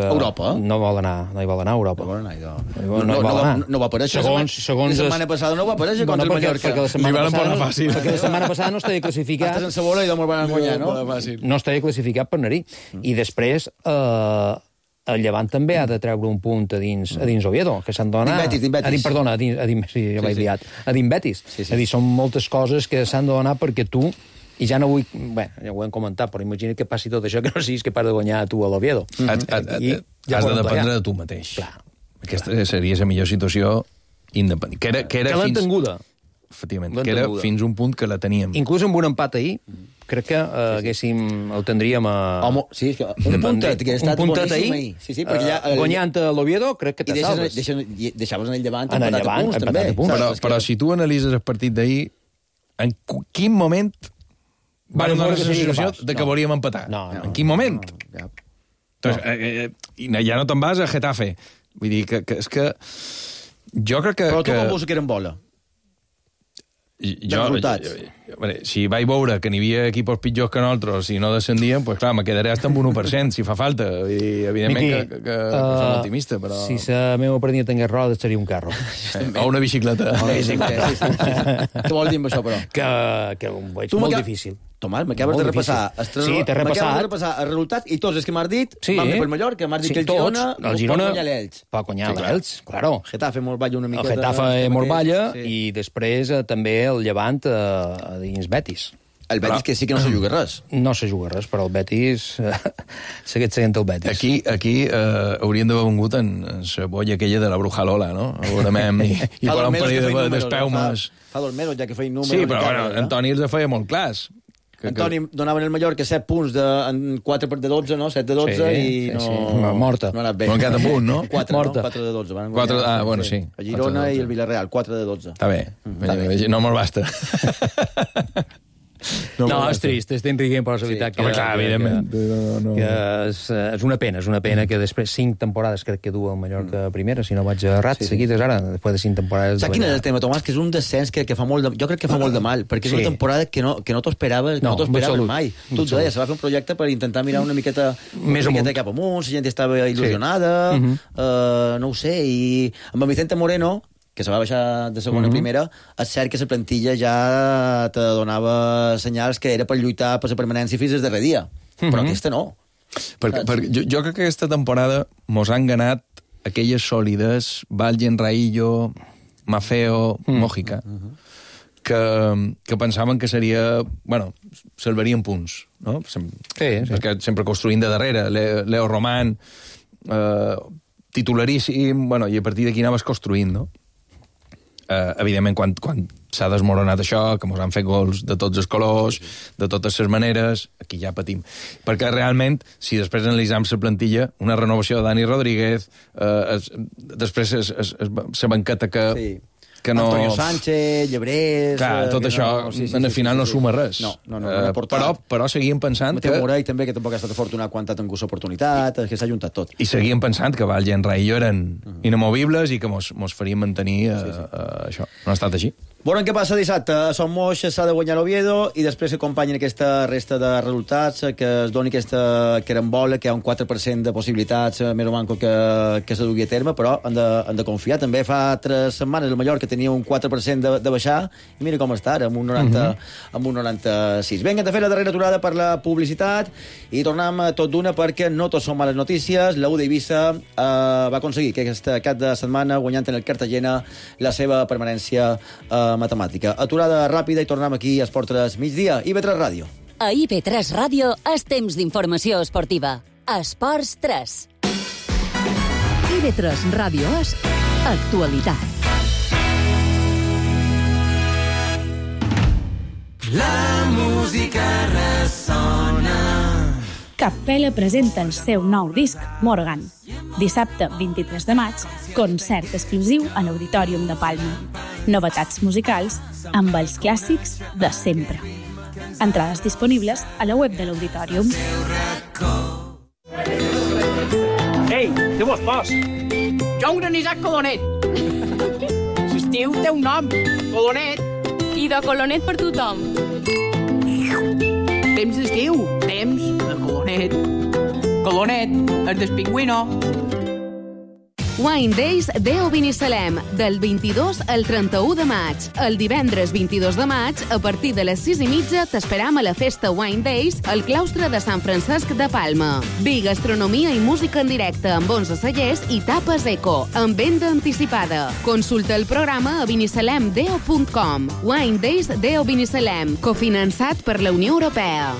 Europa. No hi vol anar a Europa. No va aparèixer. La setmana passada no va aparèixer contra el Mallorca. Li van posar fàcil. Perquè la setmana passada no estava classificat. Estàs en Sabola i no me'l van guanyar, no? No estava classificat per anar-hi. I després... el Llevant també ha de treure un punt a dins Oviedo, que s'han de donar... A dins Betis. És a dir, són moltes coses que s'han de donar perquè tu, i ja no vull... Bé, ja ho hem comentat, però imagina que passi tot això, que no siguis capaç de guanyar tu a l'Oviedo. Has de dependre de tu mateix. Aquesta seria la millor situació independent. Que l'ha entenguda. Efectivament, que era fins un punt que la teníem. Inclús amb un empat ahir, crec que el tindríem a... Sí, un puntet, que ha estat boníssim ahir. Sí, perquè ja... Guanyant a l'Oviedo, crec que te salves. Deixaves en el Llevant empatat a punts, però si tu analitzes el partit d'ahir, en quin moment va donar la sensació de que volíem empatar? En quin moment? Ja no te'n vas a Getafe. Vull dir que és que... Jo crec que... Però tu com vols que eren bola? Si vaig veure que n'hi havia equipos pitjors que nosaltres i no descendien, pues clar, me quedaré hasta amb 1%, si fa falta. I, evidentment que som optimista, però... Si la meva partida tingués rodes, seria un carro. O una bicicleta. Què vols dir amb això, però? Que ho veig molt difícil. Tomàs, m'acabes de repassar el resultat i tots els que m'has dit van bé per Mallorca, m'has dit que el Girona pot guanyar l'Elx. Pot guanyar l'Elx, claro. Getafe Morballa una miqueta. El Getafe Morballa i després també el Llevant a dins Betis. El Betis que sí que no se juga res. No se juga res, però el Betis segueix sent el Betis. Aquí haurien d'haver vengut en la bolla aquella de la Bruja Lola, no? Veurem i per un període d'espeumes. Fa 2 mesos ja que feien números. Sí, però Antoni els feia molt clars. Antoni donava en el Mallorca 7 punts en 4 de 12, no? 7 de 12 i no... Morta. No ha anat bé. No ha quedat a punt, no? 4 de 12. 4, sí. A Girona i el Villarreal, 4 de 12. Està bé. No me'l basta. No, és trist, estem riguent per la veritat. Home, clar, evidentment. És una pena que després 5 temporades crec que du el Mallorca primera, si no vaig errat, seguides ara, després de 5 temporades... Saps quin és el tema, Tomàs? Que és un descens que fa molt de... Jo crec que fa molt de mal, perquè és una temporada que no t'ho esperaves mai. Tu et deies, se va fer un projecte per intentar mirar una miqueta cap amunt, la gent estava il·lusionada, no ho sé, i amb el Vicente Moreno, que se va baixar de segona a primera, és cert que la plantilla ja te donava senyals que era per lluitar per la permanència fins al darrer dia. Però aquesta no. Jo crec que aquesta temporada mos han ganat aquelles sòlides, Valgen, Raillo, Mafeo, Mójica, que pensaven que seria... Bueno, salvarien punts, no? Perquè sempre construint de darrere. Leo Román, titularíssim, bueno, i a partir d'aquí anaves construint, no? Evidentment, quan s'ha desmoronat això, que ens han fet gols de tots els colors, de totes les maneres, aquí ja patim. Perquè realment, si després analitzem la plantilla, una renovació de Dani Rodríguez, després la banqueta que no... Antonio Sánchez, Llebrés... Clar, tot això, al final no suma res. No ha portat. Però seguíem pensant que... Mateu Morell també, que tampoc ha estat afortunat quan ha tingut l'oportunitat, que s'ha juntat tot. I seguíem pensant que Valls i Enrai eren inamovibles i que mos farien mantenir això. No ha estat així. Veurem què passa dissabte. A Son Moix s'ha de guanyar l'Oviedo i després que acompanyin aquesta resta de resultats, que es doni aquesta carambola, que hi ha un 4% de possibilitats més o menys que se dugui a terme, però han de confiar. També fa 3 setmanes el Mallorca tenia un 4% de baixar i mira com està ara, amb un 96. Vinga, de fer la darrera aturada per la publicitat i tornem tot d'una perquè no tot són males notícies. La U d'Eivissa va aconseguir que aquest cap de setmana, guanyant en el Cartagena, la seva permanència matemàtica. Aturada ràpida i tornem aquí a Esport 3 migdia. IB3 Ràdio. A IB3 Ràdio és temps d'informació esportiva. Esports 3. IB3 Ràdio és actualitat. La música ressona. Capella presenta el seu nou disc, Morgan. Dissabte 23 de maig, concert exclusiu a l'Auditorium de Palma. Novetats musicals amb els clàssics de sempre. Entrades disponibles a la web de l'Auditorium. Ei, què vos fas? Jo, un Isaac Colonet. L'estiu té un nom, Colonet. I de Colonet per tothom. Temps d'estiu, temps de Colonet. Colonet, el del pingüino. Wine Days Deo Binissalem, del 22 al 31 de maig. El divendres 22 de maig, a partir de les 6:30, t'esperam a la festa Wine Days al claustre de Sant Francesc de Palma. Vi, gastronomia i música en directe amb 11 cellers i tapes eco, amb venda anticipada. Consulta el programa a binissalemdeo.com. Wine Days Deo Binissalem, cofinançat per la Unió Europea.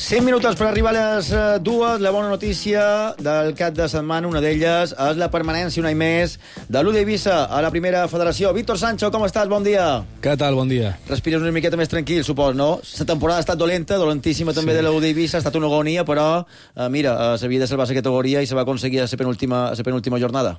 5 minuts per arribar a les 2. La bona notícia del cap de setmana, una d'elles, és la permanència un any més de l'U d'Eivissa a la primera federació. Víctor Sancho, com estàs? Bon dia. Què tal? Bon dia. Respires una miqueta més tranquil, supos, no? La temporada ha estat dolenta, dolentíssima també de l'U d'Eivissa, ha estat una agonia, però, mira, s'havia de salvar la categoria i se va aconseguir a la penúltima jornada.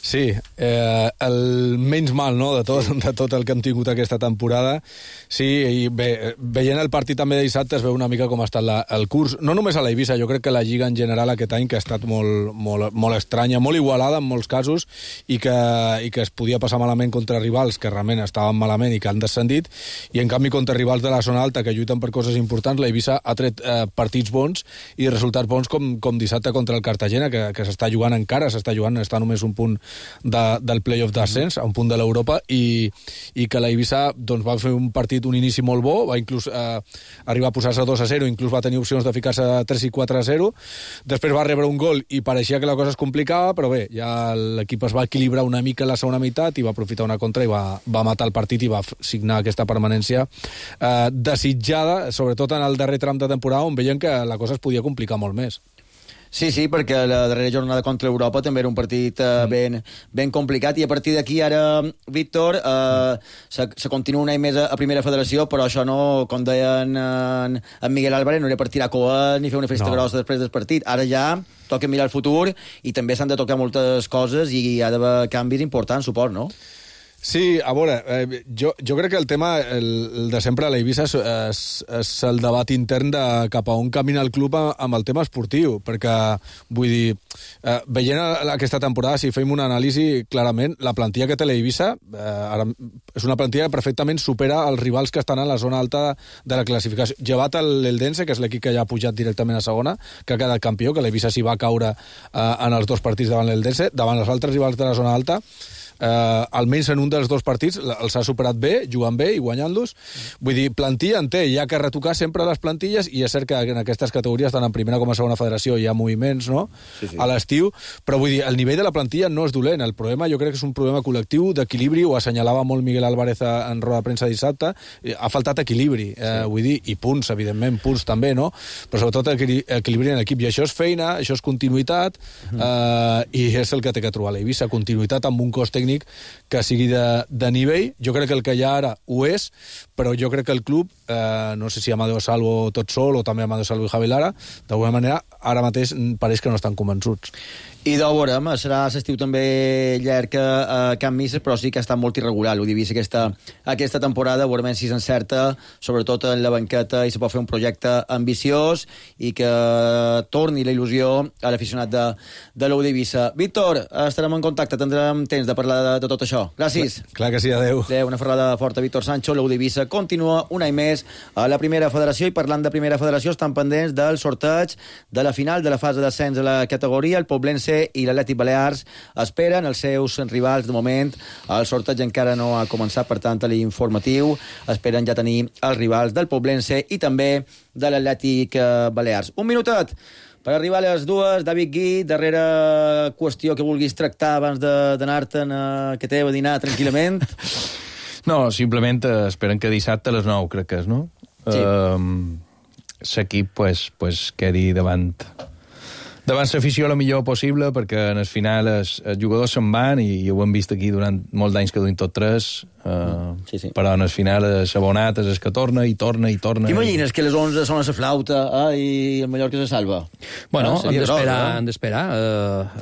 Sí, el menys mal, no?, de tot el que hem tingut aquesta temporada. Sí, i bé, veient el partit també de dissabte es veu una mica com ha estat el curs, no només a l'Eivissa, jo crec que la Lliga en general aquest any que ha estat molt estranya, molt igualada en molts casos i que es podia passar malament contra rivals que realment estaven malament i que han descendit, i en canvi contra rivals de la zona alta que lluiten per coses importants, l'Eivissa ha tret partits bons i resultats bons com dissabte contra el Cartagena, que s'està jugant encara, està només un punt del play-off d'ascens, a un punt de l'Europa, i que l'Eivissa doncs, va fer un inici molt bo, va inclús arribar a posar-se 2-0, inclús va tenir opcions de ficar-se 3 i 4-0, després va rebre un gol i pareixia que la cosa es complicava, però bé, ja l'equip es va equilibrar una mica en la segona meitat i va aprofitar una contra i va matar el partit i va signar aquesta permanència desitjada, sobretot en el darrer tram de temporada on veiem que la cosa es podia complicar molt més. Sí, perquè la darrera jornada contra Europa també era un partit ben complicat, i a partir d'aquí ara, Víctor, se continua un any més a primera federació, però això no, com deien en Miguel Álvarez, no era per tirar coes ni fer una festa grossa després del partit. Ara ja toca mirar el futur i també s'han de tocar moltes coses i hi ha d'haver canvis importants, suport, no? Sí, a veure, jo crec que el tema, el de sempre a l'Eivissa és el debat intern de cap a on camina el club amb el tema esportiu, perquè, vull dir, veient aquesta temporada, si fem una anàlisi, clarament, la plantilla que té l'Eivissa és una plantilla que perfectament supera els rivals que estan a la zona alta de la classificació. Llevat l'Eldense, que és l'equip que ja ha pujat directament a segona, que ha quedat campió, que l'Eivissa s'hi va caure en els 2 partits davant l'Eldense, davant els altres rivals de la zona alta. almenys en un dels dos partits els ha superat bé, jugant bé i guanyant-los. Vull dir, plantilla en té, hi ha que retocar sempre les plantilles, i és cert que en aquestes categories, tant en primera com a segona federació, hi ha moviments, no?, a l'estiu, però vull dir, el nivell de la plantilla no és dolent. El problema jo crec que és un problema col·lectiu d'equilibri, ho assenyalava molt Miguel Álvarez en roda de premsa dissabte, ha faltat equilibri, vull dir, i punts, evidentment, punts també, no?, però sobretot equilibri en l'equip, i això és feina, això és continuïtat, i és el que té que trobar l'Eivissa, continuïtat amb un cos tècnic que sigui de nivell. Jo crec que el que hi ha ara ho és, però jo crec que el club, no sé si Amadeo Salvo tot sol o també Amadeo Salvo i Javi Lara, d'alguna manera ara mateix pareix que no estan convençuts. I de veurem, serà l'estiu també llarg a Can Misses, però sí que ha estat molt irregular l'Udivisa aquesta temporada. Veurem si s'encerta, sobretot en la banqueta, i se pot fer un projecte ambiciós i que torni la il·lusió a l'aficionat de l'Udivisa. Víctor, estarem en contacte, tindrem temps de parlar de tot això. Gràcies. Clar que sí, adeu. Una ferrada forta, Víctor Sancho. L'Udivisa continua un any més a la primera federació, i parlant de primera federació estan pendents del sorteig de la final de la fase d'ascens a la categoria. El Poblense i l'Atlètic Balears esperen els seus rivals. De moment el sorteig encara no ha començat, per tant a l'informatiu esperen ja tenir els rivals del Poblense i també de l'Atlètic Balears. Un minutet per arribar a les dues. David Gui, darrera qüestió que vulguis tractar abans d'anar-te'n que t'he a dinar tranquil·lament. No, simplement esperen que dissabte a les 9, crec que és, no? Sí. L'equip pues, quedi davant l'afició el millor possible, perquè en el final els jugadors se'n van, i ho hem vist aquí durant molts d'anys que duim tot tres, però en el final s'abonat és el que torna i torna i torna. T'imagines que les 11 són a la flauta i el Mallorca se salva? Bueno, han d'esperar.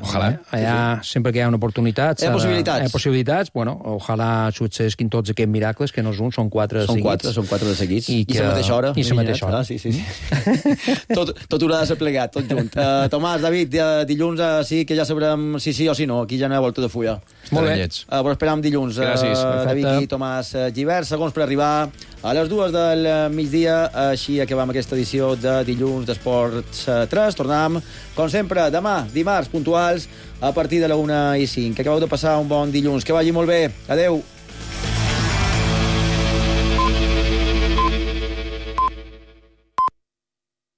Ojalà. Allà, sempre que hi ha una oportunitat... Hi ha possibilitats. Possibilitats, bueno, ojalà successin tots aquests miracles, que no és un, són 4 seguits. Són 4 de seguits. I a la mateixa hora. I a la mateixa hora. Sí. Tot haurà de ser plegat, tot junt. Tomàs, David, dilluns sí que ja sabrem si sí o si no. Aquí ja no hi ha volta de fulla. Molt bé. Però esperam dilluns. Gràcies. David i Tomàs Givert, segons per arribar a les 2 del migdia. Així acabam aquesta edició de dilluns d'Esports 3. Tornem, com sempre, demà, dimarts, puntuals, a partir de la 1:05. Que acabeu de passar un bon dilluns. Que vagi molt bé. Adeu.